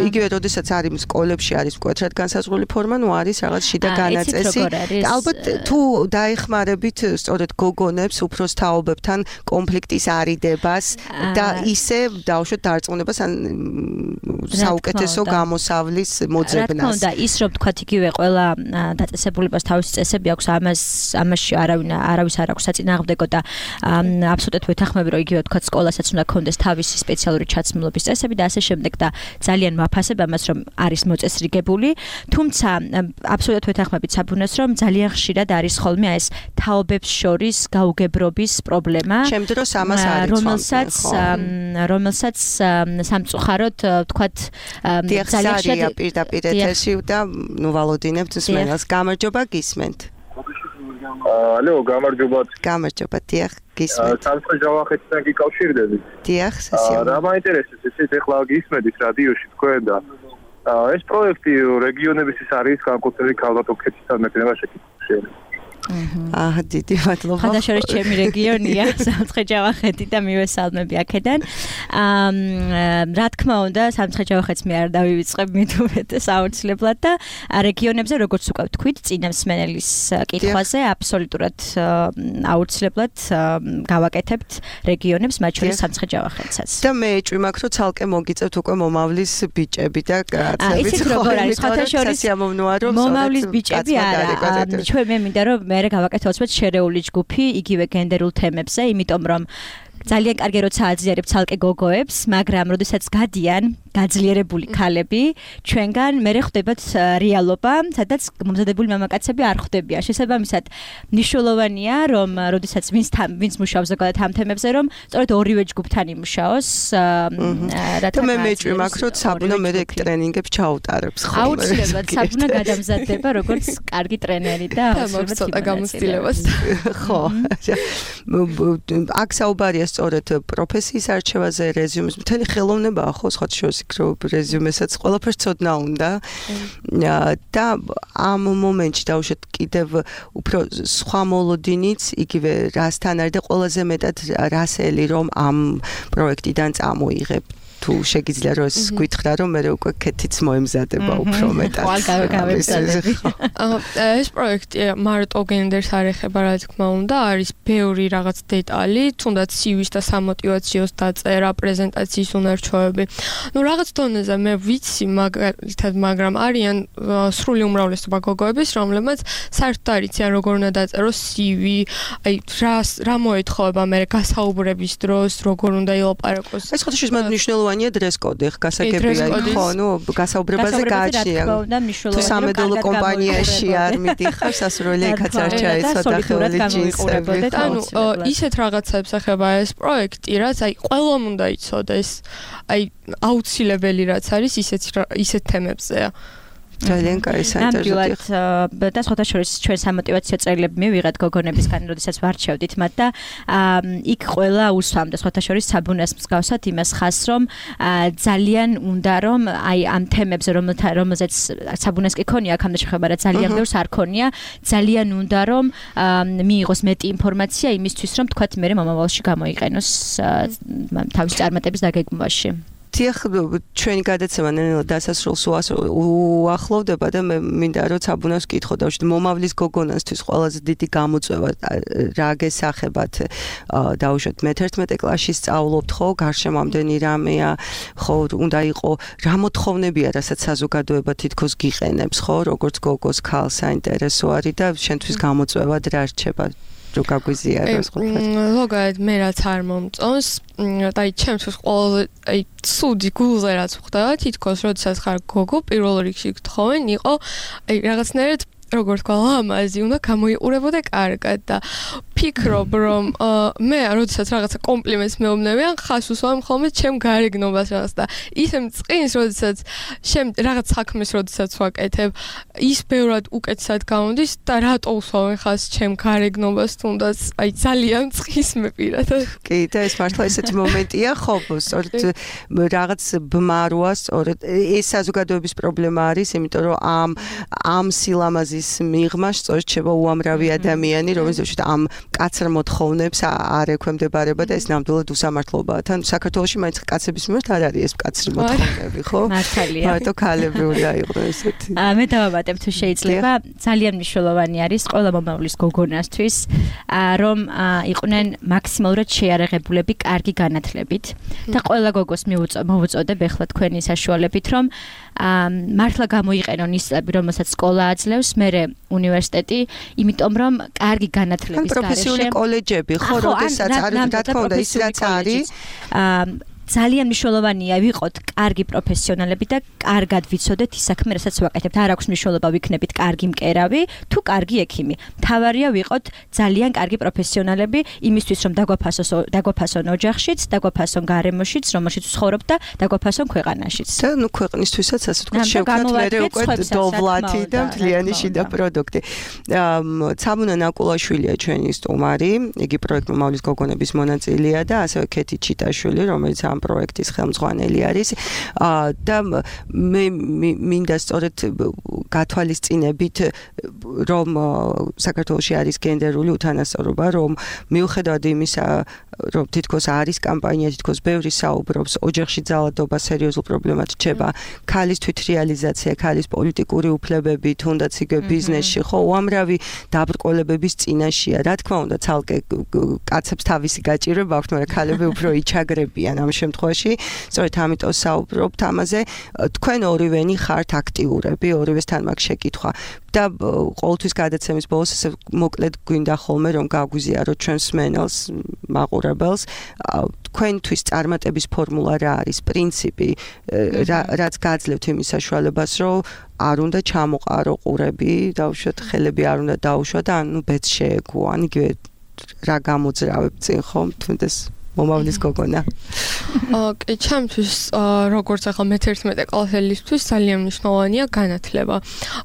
იგივე როდესაც არის სკოლებში არის მკვეთრად განსაზღვრული ფორმა, ნუ არის რაღაც შიდა განაწესი. ალბათ თუ დაეხმარებით სწორედ გოგონებს უფროს თაობებთან კონფლიქტის არიდებას და ისე დავუშვათ დარწმუნებას ან საუკეთესო გამოსავლის მოძებნას.
რა თქმა უნდა, ის რომ თქვა იგივე ყველა დაწესებულებას თავისი წესები აქვს, ამას ამაში არავინ არავის არ აქვს საწინააღმდეგო და აბსოლუტურად ვეთანხმები რომ იგივე თქვა სკოლასაც უნდა ქონდეს თავისი სპეციალური ჩაცმულობის წესები და ასე შემდეგ და ძალიან ვაფასებ ამას რომ არის მოწესრიგებული, თუმცა აბსოლუტურად ვეთანხმებით საბუნებას რომ ძალიან ხშირად არის ხოლმე ეს თაობებს შორის გაუგებრობის პრობლემა,
ჩემ დროს ამას არის
რომელსაც რომელსაც სამწუხაროდ თქვა
ძალიან ხშირად პირდაპირ ეთერში და ნუ ვალოდინებთ მსმენელს. გამარჯობა, გისმენთ.
ალო, გამარჯობა.
გამარჯობა, დიახ, გისმენთ.
სამწუხაროდ ჯავახეთთან გიკავშირდებით.
დიახ, სასიამოვნო.
რა მაინტერესებს, ესეც ახლა გისმენთ რადიოში თქვენ და ეს პროექტი რეგიონების ის არის განკუთვნილი ქალბატონქეთთან მექნება შეკითხვა.
აჰა, დიდი მადლობა.
ხანდაშორის ჩემი რეგიონია, სამცხე-ჯავახეთი და მივესალმები აქედან. აა, რა თქმა უნდა, სამცხე-ჯავახეთს მე არ დავივიწყებ მით უმეტეს აუცილებლად და რეგიონებზე, როგორც უკვე ვთქვით, წინა მსმენელის კითხვაზე, აბსოლუტურად აუცილებლად გავაკეთებთ რეგიონებს, მათ შორის სამცხე-ჯავახეთსაც.
და მე ეჭვი მაქვს, რომ ცალკე მოგიწევთ უკვე მომავლის ბიჭები და კაცები.
ისიც როგორ არის, ხანდაშორის მომავლის ბიჭები არა. ჩვენ მე მინდა რომ მე გავაკეთოთ უცბად შერეული ჯგუფი იგივე გენდერულ თემებზე, იმიტომ რომ ძალიან კარგი როცა აძლიერებ ცალკე გოგოებს, მაგრამ როდესაც გადიან გაძლიერებული ქალები ჩვენგან მერე ხვდებათ რეალობა, სადაც მომზადებული მამაკაცები არ ხვდებიან. შესაბამისად, მნიშვნელოვანია, რომ როდესაც ვინც ვინც მუშაობს ზოგადად ამ თემებზე, რომ სწორედ ორივე ჯგუფთან იმუშაოს,
რათა მე მეჭვი მაქვს, რომ საბუნა მე ეგ ტრენინგებს ჩაუტარებს ხოლმე.
აუცილებლად საბუნა გადამზადდება როგორც კარგი ტრენერი და
აუცილებლად ცოტა გამოცდილებას.
ხო. აქ საუბარია სწორედ პროფესიის არჩევაზე, რეზიუმის, მთელი ხელოვნებაა ხო, სხვა შორის იქ რომ რეზიუმესაც ყველაფერს ცოდნა უნდა. და ამ მომენტში დავუშვათ კიდევ უფრო სხვა მოლოდინიც, იგივე რასთან არის და ყველაზე მეტად რასელი რომ ამ პროექტიდან წამოიღებ. თუ შეგიძლია რომ ეს გითხრა რომ მე უკვე კეთიც მოემზადება უფრო მეტად.
ეს პროექტი მარტო გენდერს არ ეხება, რა თქმა უნდა, არის ბევრი რაღაც დეტალი, თუნდაც სივის და სამოტივაციოს დაწერა, პრეზენტაციის უნარჩვევები. ნუ რაღაც დონეზე მე ვიცი მაგალითად, მაგრამ არიან სრული უმრავლესობა გოგოების, რომლებმაც საერთოდ არ იციან როგორ უნდა დაწეროს სივი, აი რა რა მოეთხოვება მე გასაუბრების დროს, როგორ უნდა ილაპარაკოს.
ეს ხო შეიძლება მნიშვნელოვანია დრეს-კოდი, გასაგებია ხო, ნუ გასაუბრებაზე გააჩნია. თუ სამედოლო კომპანიაში არ მიდიხარ, სასურველი იქაც არ ჩაეცვა ხელით ჯინსები.
ანუ ისეთ რაღაცებს ეხება ეს პროექტი, რაც აი ყველამ უნდა იცოდეს. აი აუცილებელი რაც არის ისეთ ისეთ თემებზეა.
ძალიან კაი საინტერესო.
და სხვათა შორის ჩვენ სამოტივაციო წერილები მივიღეთ გოგონებისგან, როდესაც ვარჩევდით მათ და იქ ყველა უსვამდა სხვათა შორის საბუნას მსგავსად იმას ხას, რომ ძალიან უნდა რომ აი ამ თემებზე რომელზეც საბუნას კი ქონია, აქამდე შეხება რა ძალიან ბევრს არ ქონია, ძალიან უნდა რომ მიიღოს მეტი ინფორმაცია იმისთვის, რომ თქვათ მე მომავალში გამოიყენოს თავის წარმატების დაგეგმვაში.
დიახ, ჩვენი გადაცემა ნელ-ნელა დასასრულს უახლოვდება და მე მინდა რომ საბუნას ვკითხო და მომავლის გოგონასთვის ყველაზე დიდი გამოწვევა რა გესახებათ დაუშვათ მეთერთმეტე კლასში სწავლობთ ხო, გარშემო ამდენი რამეა, ხო, უნდა იყო რა მოთხოვნებია, რასაც საზოგადოება თითქოს გიყენებს, ხო, როგორც გოგოს ქალს საინტერესო არის და შენთვის გამოწვევად რა რჩება? რო გაგვიზიაროს ხოლმე.
ზოგადად მე რაც არ მომწონს, და აი ჩემთვის ყველაზე აი ცუდი გულზე რაც ხდება, თითქოს როდესაც ხარ გოგო, პირველ რიგში გთხოვენ, იყო აი რაღაცნაირად როგორც თქვა, ლამაზი უნდა გამოიყურებოდა კარგად და ფიქრობ რომ მე როდესაც რაღაცა კომპლიმენტს მეუბნებიან, ხას უსვამ ხოლმე ჩემ გარეგნობას რაღაც და ისე მწყინს, როდესაც შემ რაღაც საქმეს როდესაც ვაკეთებ, ის ბევრად უკეთესად გამოდის და რატო უსვამენ ხას ჩემ გარეგნობას, თუნდაც აი ძალიან მწყის მე პირადად.
კი, და ეს მართლა ესეთი მომენტია, ხო, სწორედ რაღაც ბმაროა, სწორედ ეს საზოგადოების პრობლემა არის, იმიტომ რომ ამ ამ სილამაზის მიღმა სწორედ შევა უამრავი ადამიანი, რომელსაც ამ კაცრ მოთხოვნებს არ ექვემდებარება და ეს ნამდვილად უსამართლობაა. თან საქართველოში მაინც კაცების მიმართ არ არის ეს კაცრი მოთხოვნები, ხო?
მართალია.
მარტო ქალები უნდა იყვნენ ესეთი.
მე დავაბატებ თუ შეიძლება, ძალიან მნიშვნელოვანი არის ყველა მომავლის გოგონასთვის, რომ იყვნენ მაქსიმალურად შეიარაღებულები კარგი განათლებით და ყველა გოგოს მოვუწოდებ ახლა თქვენი საშუალებით, რომ მართლა გამოიყენონ ის წლები, რომელსაც სკოლა აძლევს, მერე უნივერსიტეტი, იმიტომ რომ კარგი განათლების გარეშე
პროფესიული კოლეჯები, ხო, როდესაც არ რა თქმა უნდა ის რაც არის,
ძალიან მნიშვნელოვანია ვიყოთ კარგი პროფესიონალები და კარგად ვიცოდეთ ის საქმე, რასაც ვაკეთებთ. არ აქვს მნიშვნელობა ვიქნებით კარგი მკერავი თუ კარგი ექიმი. მთავარია ვიყოთ ძალიან კარგი პროფესიონალები იმისთვის, რომ დაგვაფასოს დაგვაფასონ ოჯახშიც, დაგვაფასონ გარემოშიც, რომელშიც ვცხოვრობთ და დაგვაფასონ ქვეყანაშიც.
და ნუ ქვეყნისთვისაც ასე ვთქვათ, შევქნათ მე უკვე დოვლათი და მთლიანი შიდა პროდუქტი. ცამუნა ნაკულაშვილია ჩვენი სტუმარი, იგი პროექტ მომავლის გოგონების მონაწილეა და ასევე ქეთი ჩიტაშვილი, რომელიც ამ პროექტის ხელმძღვანელი არის და მე მინდა სწორედ გათვალისწინებით რომ საქართველოში არის გენდერული უთანასწორობა, რომ მიუხედავად იმისა, რომ თითქოს არის კამპანია, თითქოს ბევრი საუბრობს, ოჯახში ძალადობა სერიოზულ პრობლემად რჩება, ქალის თვითრეალიზაცია, ქალის პოლიტიკური უფლებები, თუნდაც იგივე ბიზნესში, ხო, უამრავი დაბრკოლებების წინაშეა. რა თქმა უნდა, ცალკე კაცებს თავისი გაჭირვება აქვთ, მაგრამ ქალები უფრო იჩაგრებიან ამ შემთხვევაში სწორედ ამიტომ საუბრობთ ამაზე თქვენ ორივენი ხართ აქტიურები ორივესთან მაქვს შეკითხვა და ყოველთვის გადაცემის ბოლოს ესე მოკლედ გვინდა ხოლმე რომ გაგვიზიაროთ ჩვენს მენელს მაყურებელს თქვენთვის წარმატების ფორმულა რა არის პრინციპი რაც გაძლევთ იმის საშუალებას რომ არ უნდა ჩამოყარო ყურები დავუშვათ ხელები არ უნდა დაუშვა და ანუ ბეც შეეგო ან იგივე რა გამოძრავებ წინ ხომ თუნდაც მომავლის გოგონა.
ოკეი, ჩემთვის როგორც ახლა მეთერთმეტე კლასელისთვის ძალიან მნიშვნელოვანია განათლება.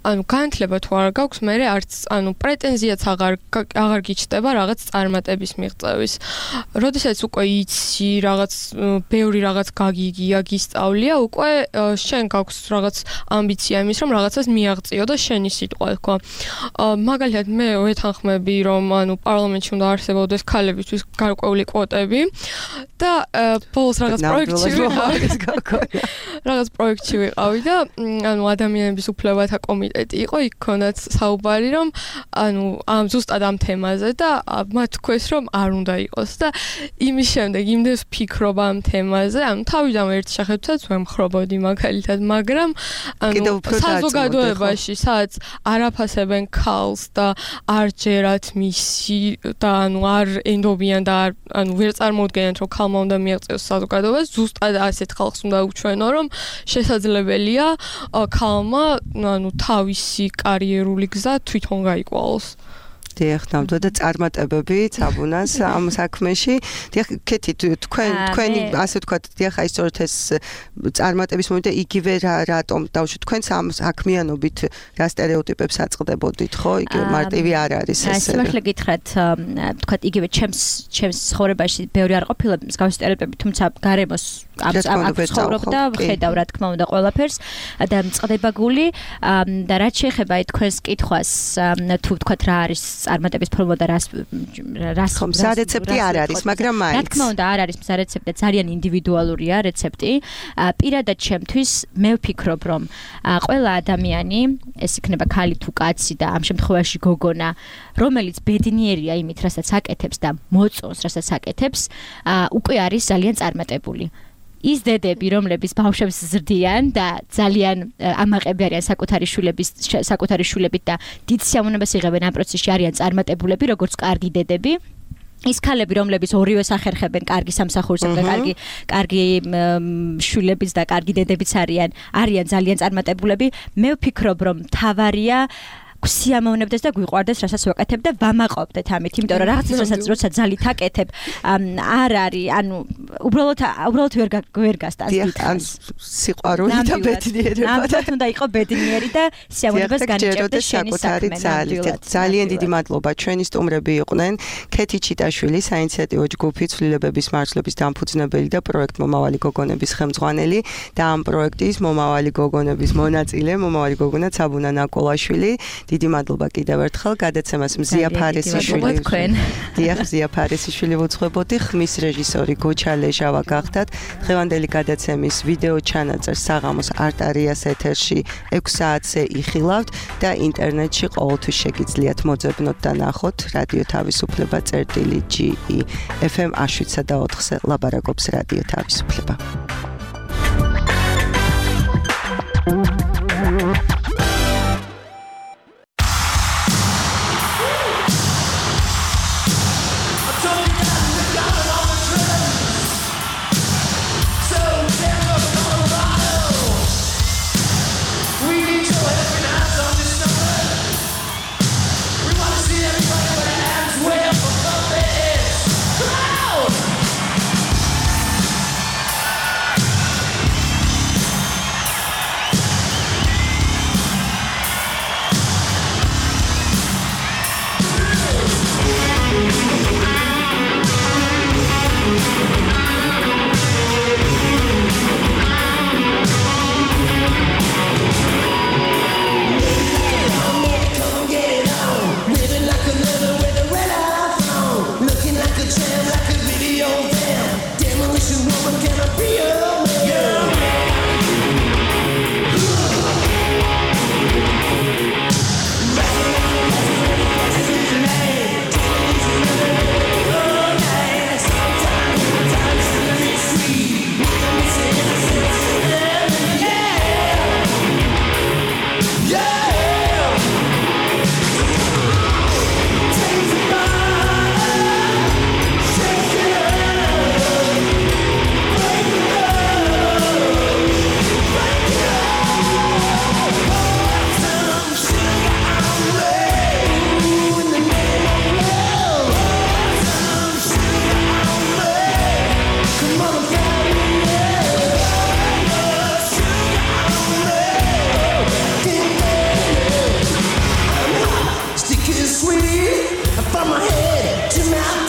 ანუ განათლება თუ არ გაქვს, მე არც ანუ პრეტენზიაც აღარ აღარ გიჩნდება რაღაც წარმატების მიღწევის. როდესაც უკვე იცი რაღაც ბევრი რაღაც გაგიგია, გისწავლია, უკვე შენ გაქვს რაღაც ამბიცია იმის, რომ რაღაცას მიაღწიო და შენი სიტყვა თქვა. მაგალითად მე ვეთანხმები, რომ ანუ პარლამენტში უნდა არსებობდეს ქალებისთვის გარკვეული კვოტები. და ბოლოს რაღაც პროექტში ვიყავი რაღაც პროექტში ვიყავი და ანუ ადამიანების უფლებათა კომიტეტი იყო იქ ქონდათ საუბარი რომ ანუ ამ ზუსტად ამ თემაზე და მათ თქვეს რომ არ უნდა იყოს და იმის შემდეგ იმდენს ვფიქრობ ამ თემაზე ანუ თავიდან ერთ შეხედვითაც ვემხრობოდი მაგალითად მაგრამ ანუ საზოგადოებაში სადაც არაფასებენ ქალს და არ ჯერათ მისი და ანუ არ ენდობიან და ანუ ვერ წარმოუდგენთ რომ ქალმა უნდა მიაღწიოს საზოგადოებას, ზუსტად ასეთ ხალხს უნდა უჩვენო, რომ შესაძლებელია ქალმა ანუ თავისი კარიერული გზა თვითონ გაიკვალოს.
დიახ, ნამდვილად და წარმატებები ცაბუნას ამ საქმეში. დიახ, კეთი თქვენ თქვენი ასე ვთქვათ, დიახ, აი სწორედ ეს წარმატების მომენტი იგივე რატომ დავუშვით თქვენს ამ საქმიანობით რა სტერეოტიპებს აწყდებოდით, ხო? იგივე მარტივი არ არის ეს.
ეს მართლა გითხრათ, ვთქვათ, იგივე ჩემს ჩემს ცხოვრებაში ბევრი არ ყოფილა მსგავსი სტერეოტიპები, თუმცა გარემოს ამ ცხოვრობ და ვხედავ რა თქმა უნდა ყველაფერს და მწყდება გული და რაც შეეხება აი თქვენს კითხვას, თუ ვთქვათ რა არის წარმატების ფორმულა და რას რას
მზა რეცეპტი არ არის, მაგრამ მაინც.
რა თქმა უნდა, არ არის მზა რეცეპტი, ძალიან ინდივიდუალურია რეცეპტი. პირადად ჩემთვის მე ვფიქრობ, რომ ყველა ადამიანი, ეს იქნება ქალი თუ კაცი და ამ შემთხვევაში გოგონა, რომელიც ბედნიერია იმით, რასაც აკეთებს და მოწონს, რასაც აკეთებს, უკვე არის ძალიან წარმატებული. ის დედები, რომლებიც ბავშვებს ზრდიან და ძალიან ამაყები არიან საკუთარი შვილების საკუთარი შვილებით და დიდ სიამოვნებას იღებენ ამ პროცესში არიან წარმატებულები, როგორც კარგი დედები. ის ქალები, რომლებიც ორივეს ახერხებენ კარგი სამსახურს და კარგი კარგი შვილების და კარგი დედებიც არიან, არიან ძალიან წარმატებულები. მე ვფიქრობ, რომ თავარია გვსიამოვნებდეს და გვიყვარდეს, რასაც ვაკეთებ და ვამაყობდეთ ამით, იმიტომ რომ რაღაცას რასაც როცა ძალით აკეთებ, არ არის, ანუ უბრალოდ უბრალოდ ვერ ვერ გასტანს დიდხანს.
სიყვარული და ბედნიერება.
ნამდვილად უნდა იყო ბედნიერი და სიამოვნებას განიჭერდეს შენი
საკუთარი ძალით. ძალიან დიდი მადლობა. ჩვენი სტუმრები იყვნენ ქეთი ჩიტაშვილი, საინიციატივო ჯგუფი ცვლილებების მარცვლების დამფუძნებელი და პროექტ მომავალი გოგონების ხელმძღვანელი და ამ პროექტის მომავალი გოგონების მონაწილე, მომავალი გოგონა ცაბუნა ნაკოლაშვილი. დიდი მადლობა კიდევ ერთხელ გადაცემას მზია ფარესიშვილი. დიახ, მზია ფარესიშვილი ვუძღვებოდი, ხმის რეჟისორი გოჩა ლეჟავა გახდათ. დღევანდელი გადაცემის ვიდეო ჩანაწერს საღამოს არტარიას ეთერში ექვს საათზე იხილავთ და ინტერნეტში ყოველთვის შეგიძლიათ მოძებნოთ და ნახოთ რადიო თავისუფლება წერტილი ჯი ი ეფ ემ შვიდსა და ოთხზე ლაბარაკობს რადიო თავისუფლება.
now